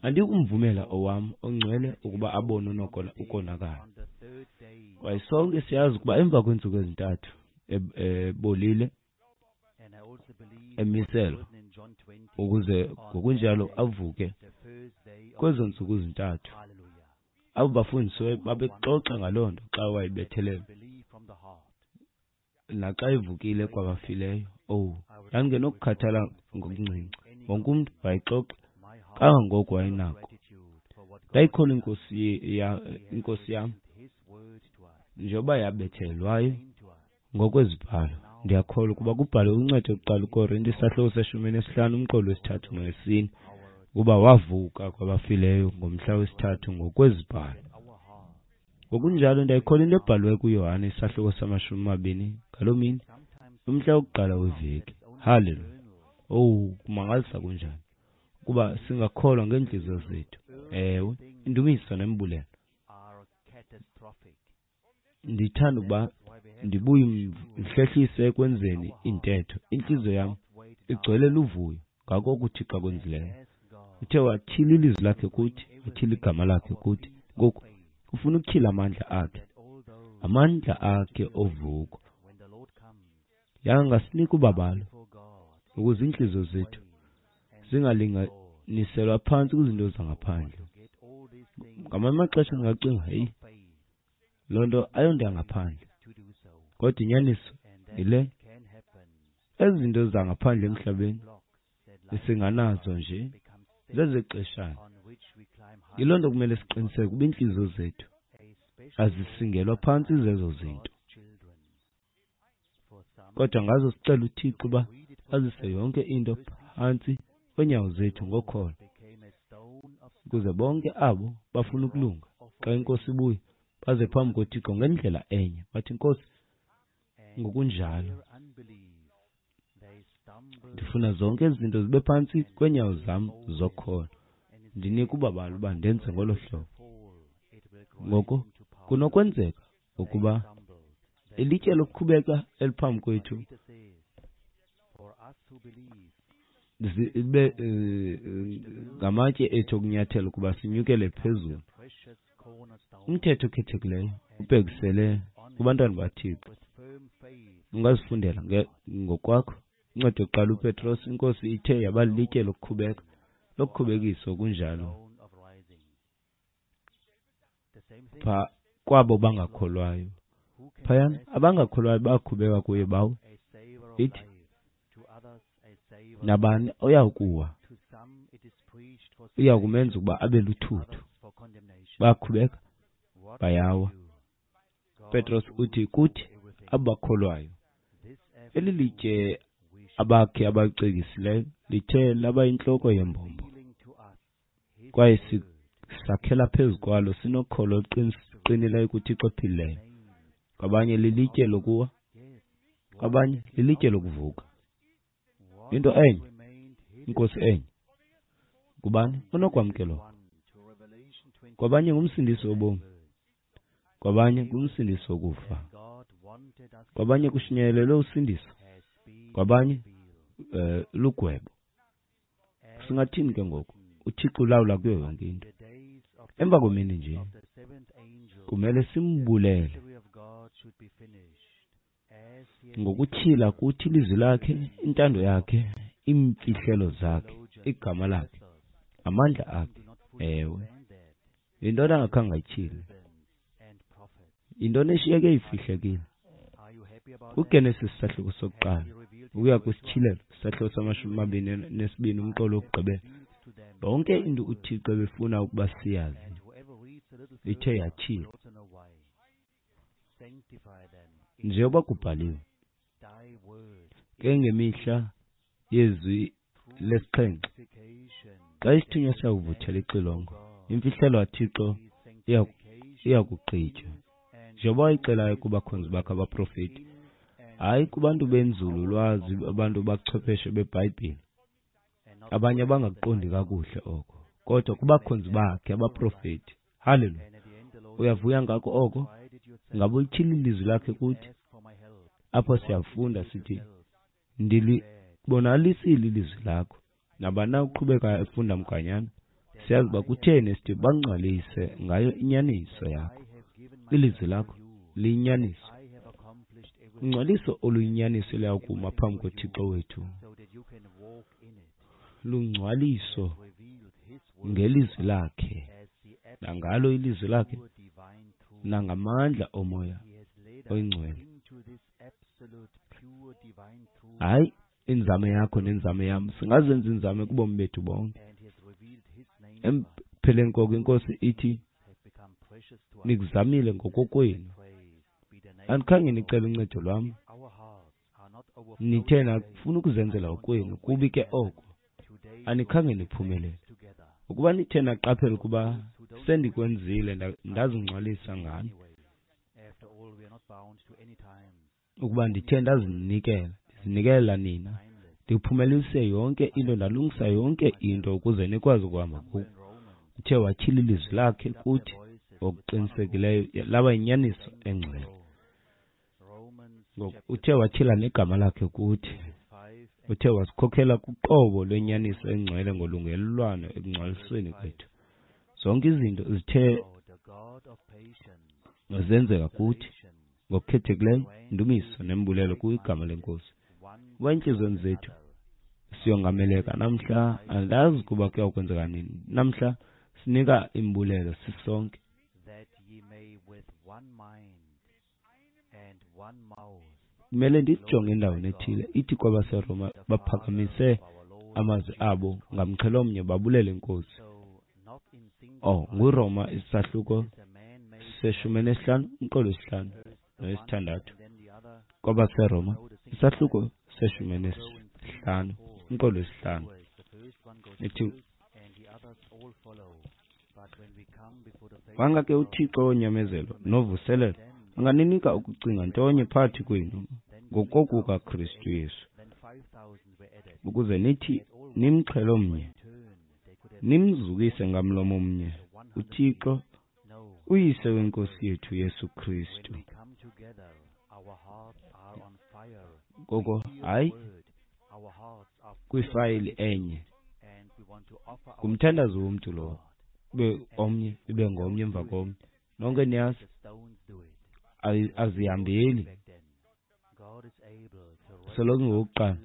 [SPEAKER 2] andikumvumela owam ongcwele ukuba abone ukonakala. Kwaye sonke siyazi ukuba emva kweentsuku ezintathu ebolile, emiselwa ukuze ngokunjalo avuke kwezo ntsuku zintathu. Abo bafundisiweyo babexoxa ngaloo nto xa wayebethelelwa naxa evukile kwabafileyo. Owu, ndandingenokukhathala ngokuncinci. Wonke umntu wayexoxa kangangoko wayenako. Ndayikholwa inkosi yam njengoba yabethelelwayo ngokwezibhalo. Ndiyakholwa ukuba kubhalwe uncedo lokuqala uKorinte isahluko seshumi nesihlanu umqolo wesithathu nowesine ukuba wavuka kwabafileyo ngomhla wesithathu ngokwezibhalo. Ngokunjalo ndiyayikholwa into ebhaliwe kuYohane isahluko samashumi amabini ngaloo mini, umhla wokuqala weveki. Haleluya! Owu, kumangalisa kunjani ukuba singakholwa ngeentliziyo zethu. Ewe, indumiso nembulelo. Ndithanda ukuba ndibuye ndihlehlise ekwenzeni intetho. Intliziyo yam igcwele luvuyo ngako oko uThixo akwenzileyo. Uthe watyhila ilizwi lakhe kuthi, watyhila igama lakhe kuthi. Ngoku ufuna ukutyhila amandla akhe, amandla akhe ovuko. Yangasinika ubabalo ukuze iintliziyo zethu zingalinganiselwa phantsi kwizinto zangaphandle. Ngamanye amaxesha ndingacinga, heyi, loo nto ayonto yangaphandle, kodwa inyaniso yile, ezi zinto zangaphandle emhlabeni singanazo nje zezexeshana. Yiloo nto kumele siqiniseke ukuba iintliziyo zethu azisingelwa phantsi zezo zinto, kodwa ngazo sicela uThixo uba azise yonke into phantsi kweenyawo zethu ngokholo, ukuze bonke abo bafuna ukulunga xa iNkosi ibuya baze phambi koThixo ngendlela enye, bathi, Nkosi, ngokunjalo ndifuna zonke ezi zinto zibe phantsi kweenyawo zam zokholo. Ndinika ubabalo uba ndenze ngolo hlobo. Ngoko kunokwenzeka ukuba ilitye lokukhubeka eliphambi kwethu zibe ngamatye ethu okunyathela ukuba sinyukele phezulu. Umthetho okhethekileyo ubhekisele kubantwana baThixo. Ungazifundela ngokwakho. Incwadi yokuqala uPetros, iNkosi ithe yaba lilitye lokukhubeka, lokukhubekiswa okunjalo pha kwabo bangakholwayo. Phayana abangakholwayo bakhubeka kuye bawe. Ithi nabani oyakuwa uya kumenza ukuba abe luthuthu. Bakhubeka bayawa. UPetros uthi kuthi abakholwayo, eli litye abakhe abacekisileyo lithe laba yintloko yembombo, kwaye sakhela phezu kwalo sinokholo oluqinileyo kuThixo ophilileyo. Kwabanye lilitye lokuwa, kwabanye lilitye lokuvuka. Into enye, inkosi enye. Ngubani onokwamkelwa? Kwabanye ngumsindisi wobomi, kwabanye ngumsindisi wokufa. Kwabanye kushunyayelelwe usindiso, kwabanye lugwebo. Singathini ke ngoku? UThixo ulawula kuyo yonke into. Emva kwemini nje kumele simbulele ngokutyhila kuthi ilizwi lakhe, intando yakhe, iimfihlelo zakhe, igama lakhe, amandla akhe. Ewe, yintoni angakhange ayityhile? Yintoni eshiyeke ifihlekile? UGenesis sahluko sokuqala ukuya kwisityhilelo sahluko sama-22 umqolo wokugqibela, yonke into uThixo ebefuna ukuba siyazi ithe yatyhilwa njengoba kubhaliwe. Ke ngemihla yezwi lesixhenxe, xa isithunywa siyakuvuthela ixilongo, imfihlelo kaThixo iyakugqitywa, njengoba wayixelayo kubakhonzi bakhe abaprofeti, hayi kubantu benzululwazi, abantu bachwepheshe beBhayibhile, abanye abangakuqondi kakuhle oko, kodwa kubakhonzi bakhe abaprofeti. Haleluya! Uyavuya ngako oko? Ngaba ulityhila ilizwi lakhe kuthi? Apho siyafunda sithi, ndilibonalisile ilizwi lakho. Nabani na uqhubeka efunda mganyana, siyazi uba kutheni sithi bangcwalise ngayo inyaniso yakho. Ilizwi lakho liyinyaniso. Ungcwaliso oluyinyaniso luyakuma phambi koThixo wethu. Lungcwaliso ngelizwi lakhe, nangalo ilizwi lakhe, nangamandla omoya oyingcwele. Hayi inzame yakho nenzame yam, singazenza inzame kubomi bethu bonke. Empheleni koko inkosi ithi, nikuzamile ngokokwenu, andikhange nicele uncedo lwam, nithe nafuna ukuzenzela okwenu, kubi ke oko, anikhange niphumelele. Ukuba nithe naqaphela ukuba sendikwenzile, ndazingcwalisa ngani, ukuba ndithe ndazinikela, ndizinikela nina, ndiphumelelise yonke into, ndalungisa yonke into ukuze nikwazi ukuhamba kuko. Uthe watyhila ilizwi lakhe kuthi ngokuqinisekileyo, laba yinyaniso engcwele. Ngoku uthe watyhila negama lakhe kuthi, uthe wasikhokhela kuqobo lwenyaniso engcwele ngolungelelwano ekungcwalisweni kwethu. Zonke izinto zithe zenzeka kuthi ngokukhethekileyo, indumiso nembulelo kwigama lenkosi. Kuba iintliziyweni zethu siyongameleka namhla, andazi ukuba kuyawukwenzeka nini. Namhla sinika imbulelo sisonke. Kumele ndijonge endaweni ethile, ithi kwabaseRoma baphakamise amazwi abo ngamxhelo omnye babulele inkosi. Oh, nguRoma isahluko se-15 umqolo wesihlanu nowesithandathu. KwabaseRoma isahluko se-15 umqolo wesihlanu. Ithi, wanga ke uThixo wonyamezelo novuselelo anganinika ukucinga ntonye phakathi kwenu ngokokukaKristu Yesu, ukuze nithi nimxhelo mnye, nimzukise ngamlomo mnye uThixo uyise wenkosi yethu Yesu Kristu. Ngoko hayi kwifayili enye, ngumthandazo womntu lowo, ube omnye ibe ngomnye emva komnye. Nonke niyazi azihambeli, soloko ngowokuqala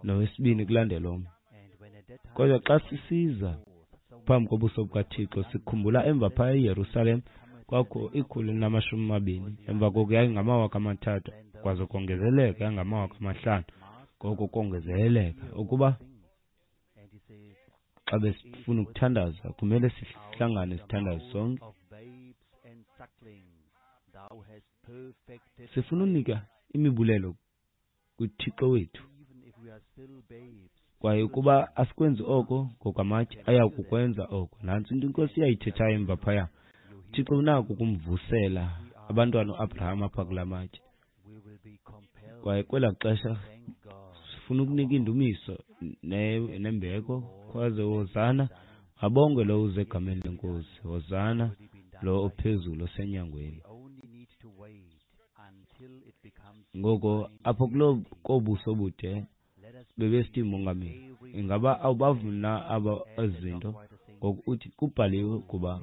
[SPEAKER 2] nowesibini kulandela omnye. Kodwa xa sisiza phambi kobuso bukaThixo, sikhumbula emva phaya eYerusalem kwakho 120, emva koko yayingama-3000, kwaze kongezeleka yangama-5000, ngoko kongezeleleka. Ukuba xa besifuna ukuthandaza kumele sihlangane sithandaze sonke. Sifuna unika imibulelo kuThixo wethu. Kwaye ukuba asikwenzi oko ngokwamatye, aya kukwenza oko. Nantsi into iNkosi iyayithethayo emva phaya. UThixo unako ukumvusela abantwana uAbraham apha kula matye. Kwaye kwelaa xesha sifuna ukunika indumiso nembeko, khwaze hosana, abongwe lowo uze egameni leNkosi, hosana lo ophezulu osenyangweni. Ngoko apho kuloo kobuso bude bebesithi, Mongameli, ingaba awubavumi na aba ezi zinto? Ngoku uthi kubhaliwe ukuba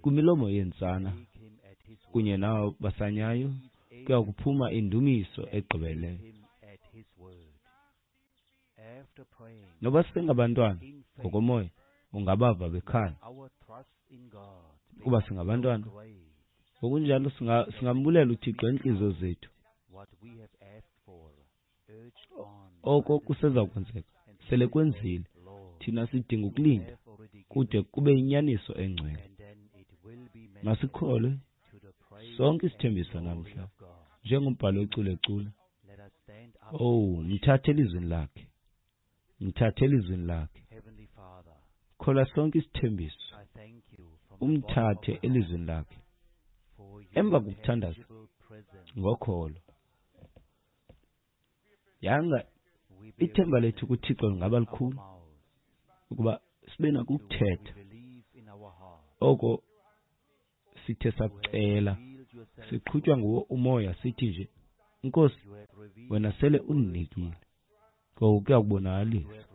[SPEAKER 2] kwimilomo yeentsana kunye nabo basanyayo kuya kuphuma indumiso egqibeleleyo. Noba singabantwana ngokomoya, ungabava bekhala kuba singabantwana. Ngokunjalo singambulela uThixo eentliziyo zethu. Oko kuseza kwenzeka, sele kwenzile. Thina sidinga ukulinda kude kube inyaniso engcwele. Masikholwe sonke isithembiso namhla, njengombhalo wecula ecula. Owu, mthathe elizwini lakhe, mthathe elizwini lakhe. Kholwa sonke isithembiso, umthathe elizwini lakhe. Emva kokuthandaza ngokholo, yanga ithemba lethu kuThixo lingaba likhulu ukuba sibe nako ukuthetha oko sithe sakucela, siqhutywa nguwo umoya, sithi nje, Nkosi, wena sele undinikile. Ngoku kuya kubonakalisa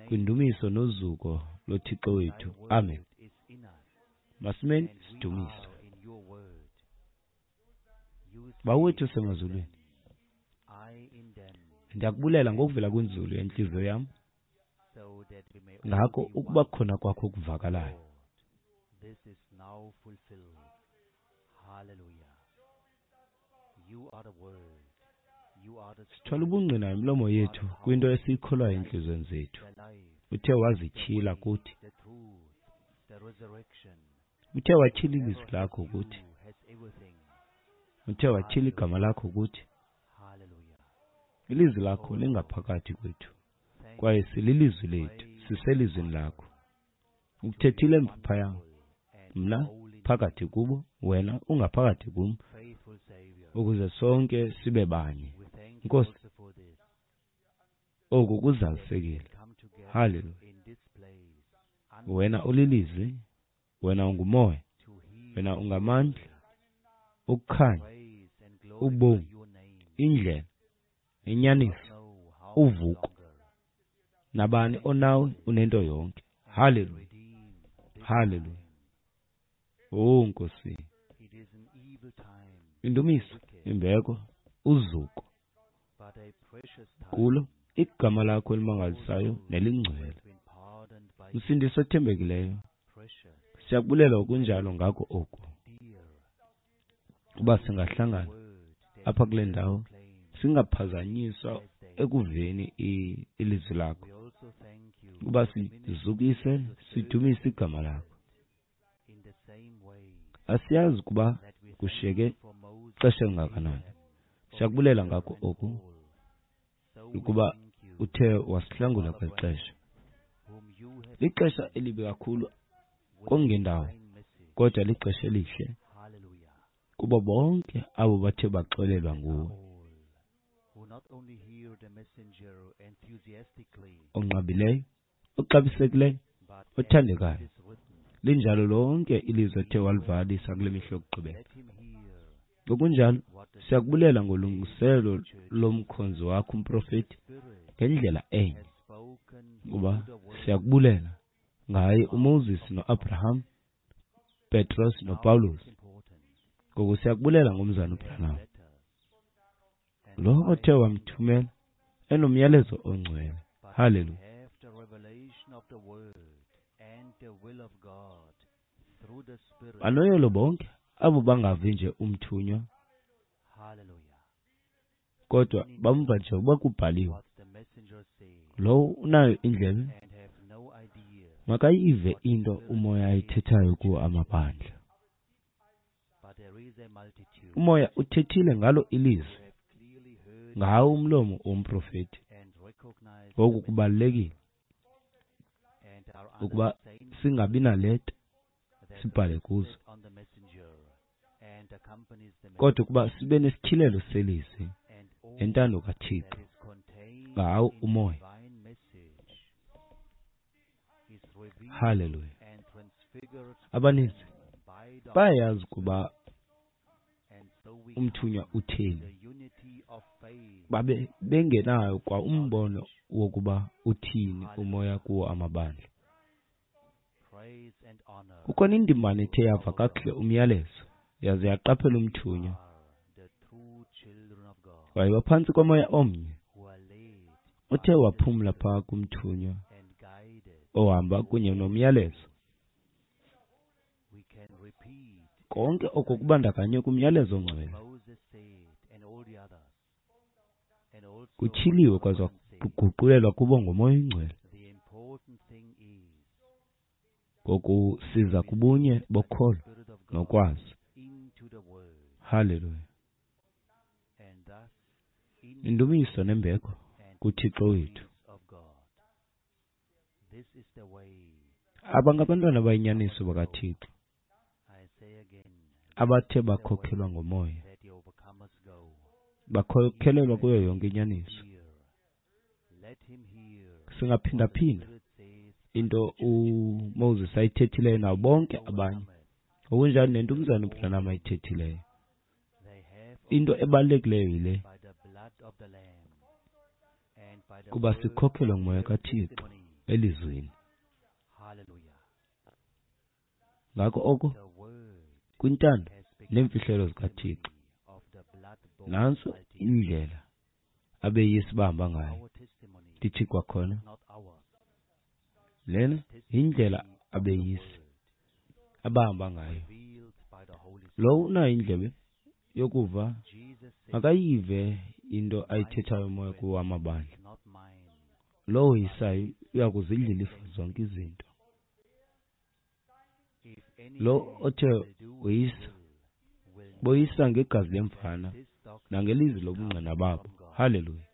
[SPEAKER 2] kwindumiso nozuko loThixo wethu. Amen. Masimeni sidumise. Bawo wethu osemazulwini, ndiyakubulela ngokuvela kwinzulu yentliziyo yam ngako ukuba khona kwakho okuvakalayo. Sithwala ubungqina ngemilomo yethu kwinto esiyikholwayo entliziyweni zethu. Uthe wazityhila kuthi. Uthe watyhila ilizwi lakho kuthi. Uthe watyhila igama lakho kuthi. Ilizwi lakho lingaphakathi kwethu, kwaye sililizwi lethu, siselizwini lakho. Ukuthethile emva phaya, mna phakathi kubo, wena ungaphakathi kum, ukuze sonke sibe banye. Nkosi, oku kuzalisekile. Haleluya. Wena ulilizwi, wena ungumoya, wena ungamandla, ukukhanya, ubomi, indlela, inyaniso, uvuko. Nabani onawe unento yonke. Haleluya. Haleluya. Oh Nkosi, indumiso, imbeko, uzuko kulo igama lakho elimangalisayo nelingcwele. Msindisi othembekileyo, siyakubulela okunjalo ngako oku, uba singahlangana apha kule ndawo singaphazanyiswa ekuveni ilizwi lakho, ukuba sizukise sidumise igama lakho. Asiyazi ukuba kushiyeke ixesha elingakanani. Siyakubulela ngako oku, ukuba uthe wasihlangula kweli xesha. Lixesha elibi kakhulu kongendawo, kodwa lixesha elihle kubo bonke abo bathe baxolelwa nguwe. Onqabileyo, oxabisekileyo, othandekayo, linjalo lonke ilizwi athe walivakalisa kule mihla yokugqibela. Ngokunjalo siyakubulela ngolungiselelo lomkhonzi wakho umprofeti ngendlela enye, kuba siyakubulela ngaye uMoses noAbraham, Petros noPawulos. Ngoku siyakubulela ngomzana uBranham, lo othe wamthumela enomyalezo ongcwele. Haleluya. Banoyolo bonke abo bangavi nje umthunywa, kodwa bamva nje uba kubhaliwe. Lowo unayo indlebe makayive into umoya ayithethayo kuwo amabandla. Umoya uthethile ngalo ilizwi, ngawo umlomo womprofeti. Ngoku kubalulekile ukuba singabi naleta sibhale kuzo, kodwa ukuba sibe nesityhilelo selizwi nentando kaThixo ngawo umoya. Haleluya. Abaninzi bayayazi ukuba umthunywa utheni, babe bengenayo kwa umbono wokuba uthini umoya kuwo amabandla. Kukhona indimbane ethe yava kakuhle umyalezo yaze yaqaphela umthunywa, wayewa phantsi komoya omnye othe waphumla phaa kumthunywa ohamba kunye nomyalezo. Konke oko kubandakanywe kumyalezo ongcwele kutyhiliwe kwaza kuguqulelwa kubo ngomoya oyingcwele. Ngoku siza kubunye bokholo nokwazi. Haleluya. Indumiso nembeko kuThixo wethu. Aba ngabantwana abayinyaniso bakaThixo abathe bakhokhelwa ngomoya, bakhokhelelwa kuyo yonke inyaniso. Singaphindaphinda into uMoses ayithethileyo nabo bonke abanye, ngokunjalo nento umzana uBranham ayithethileyo. Into ebalulekileyo yile, kuba sikhokhelwa ngumoya kaThixo elizwini. Ngako oko kwintando neemfihlelo zikaThixo, nantso indlela abeyisi bahamba ngayo. Ndithi kwakhona, lena yindlela abeyisi abahamba ngayo. Lowo unayo indlebe yokuva makayive into ayithethayo umoya kuwo amabandla. Lowo woyisayo uya kuzidla ilifa zonke izinto. Lo othe woyisa, boyisa ngegazi lemvana nangelizwi lobungqina babo. Haleluya.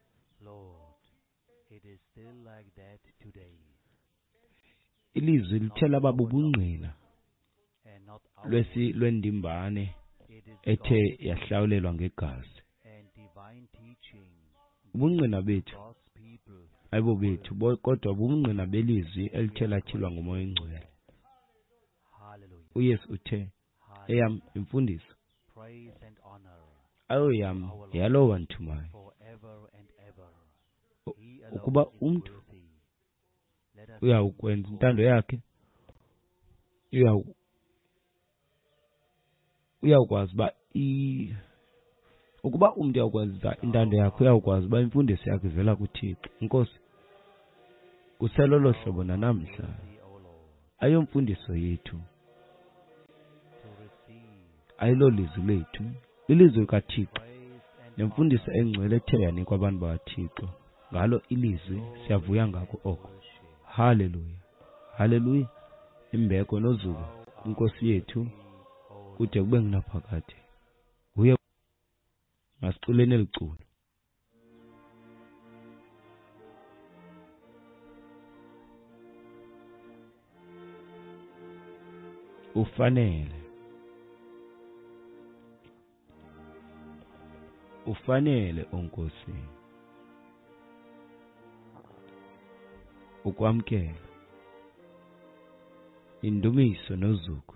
[SPEAKER 2] Ilizwi lithe laba bubungqina lwendimbane ethe yahlawulelwa ngegazi. Ubungqina bethu ayibo bethu, kodwa bubungqina belizwi elithe latyhilwa ngumoya oyingcwele. uYesu uthe, eyam imfundiso ayoyam yalowo wandithumayo. Ukuba umntu uyawukwenza intando yakhe, uyawukwazi uba ukuba umntu uyawukwenza intando yakhe, uyawukwazi uba imfundiso yakhe ivela kuThixo. Inkosi, kuselolo hlobo nanamhla. Ayomfundiso yethu, ayilolizwi lethu, lilizwi likaThixo nemfundiso engcwele ethe yanikwa abantu bakaThixo. Ngalo ilizwi siyavuya ngako oko. Haleluya, haleluya. Imbeko nozuko kwinkosi yethu kude kube ngunaphakade. Nguye. Masiculeni eli culo. Ufanele, ufanele oNkosi ukwamkela indumiso nozuko,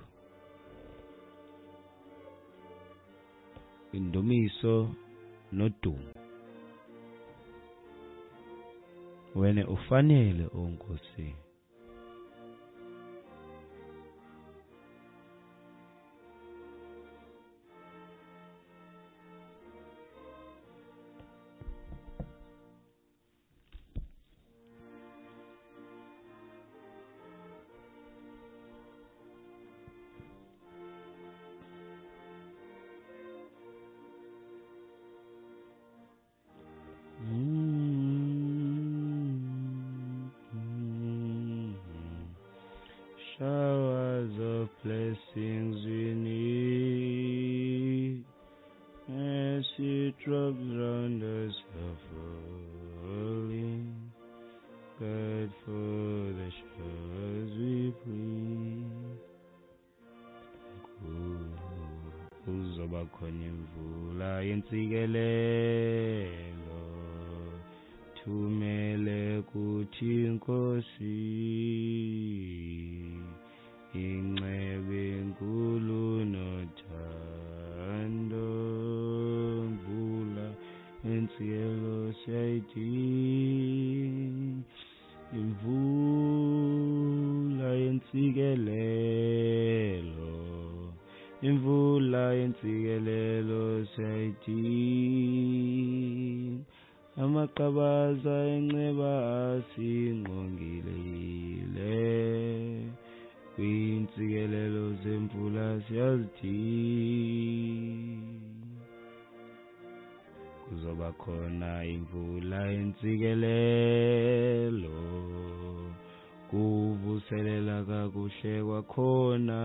[SPEAKER 2] indumiso nodumo. Wena ufanele oNkosi. Wait for the showers we pray. Kuzoba khona imvula yentsikelelo, thumele kuthi Nkosi incebe enkulu nothando. Mvula yentsikelelo siyayidinga, imvula yentsikelelo, imvula yentsikelelo siyayidinga. Amaqabaza enceba asingqongile, kwiintsikelelo zemvula siyazidinga. Kuzoba khona imvula yentsikelelo, kuvuselela kakuhle kwakhona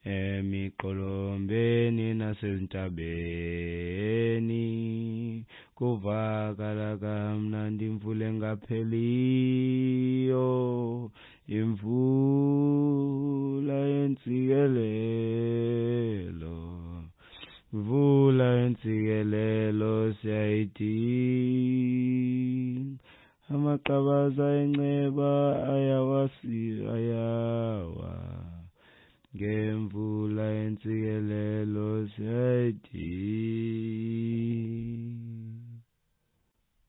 [SPEAKER 2] emiqolombeni nasezintabeni, kuvakala kamnandi imvula engapheliyo, imvula yentsikelelo, mvula yentsikelelo siyayidinga. Amaqabaza enceba ayawa ngemvula yentsikelelo siyayidinga.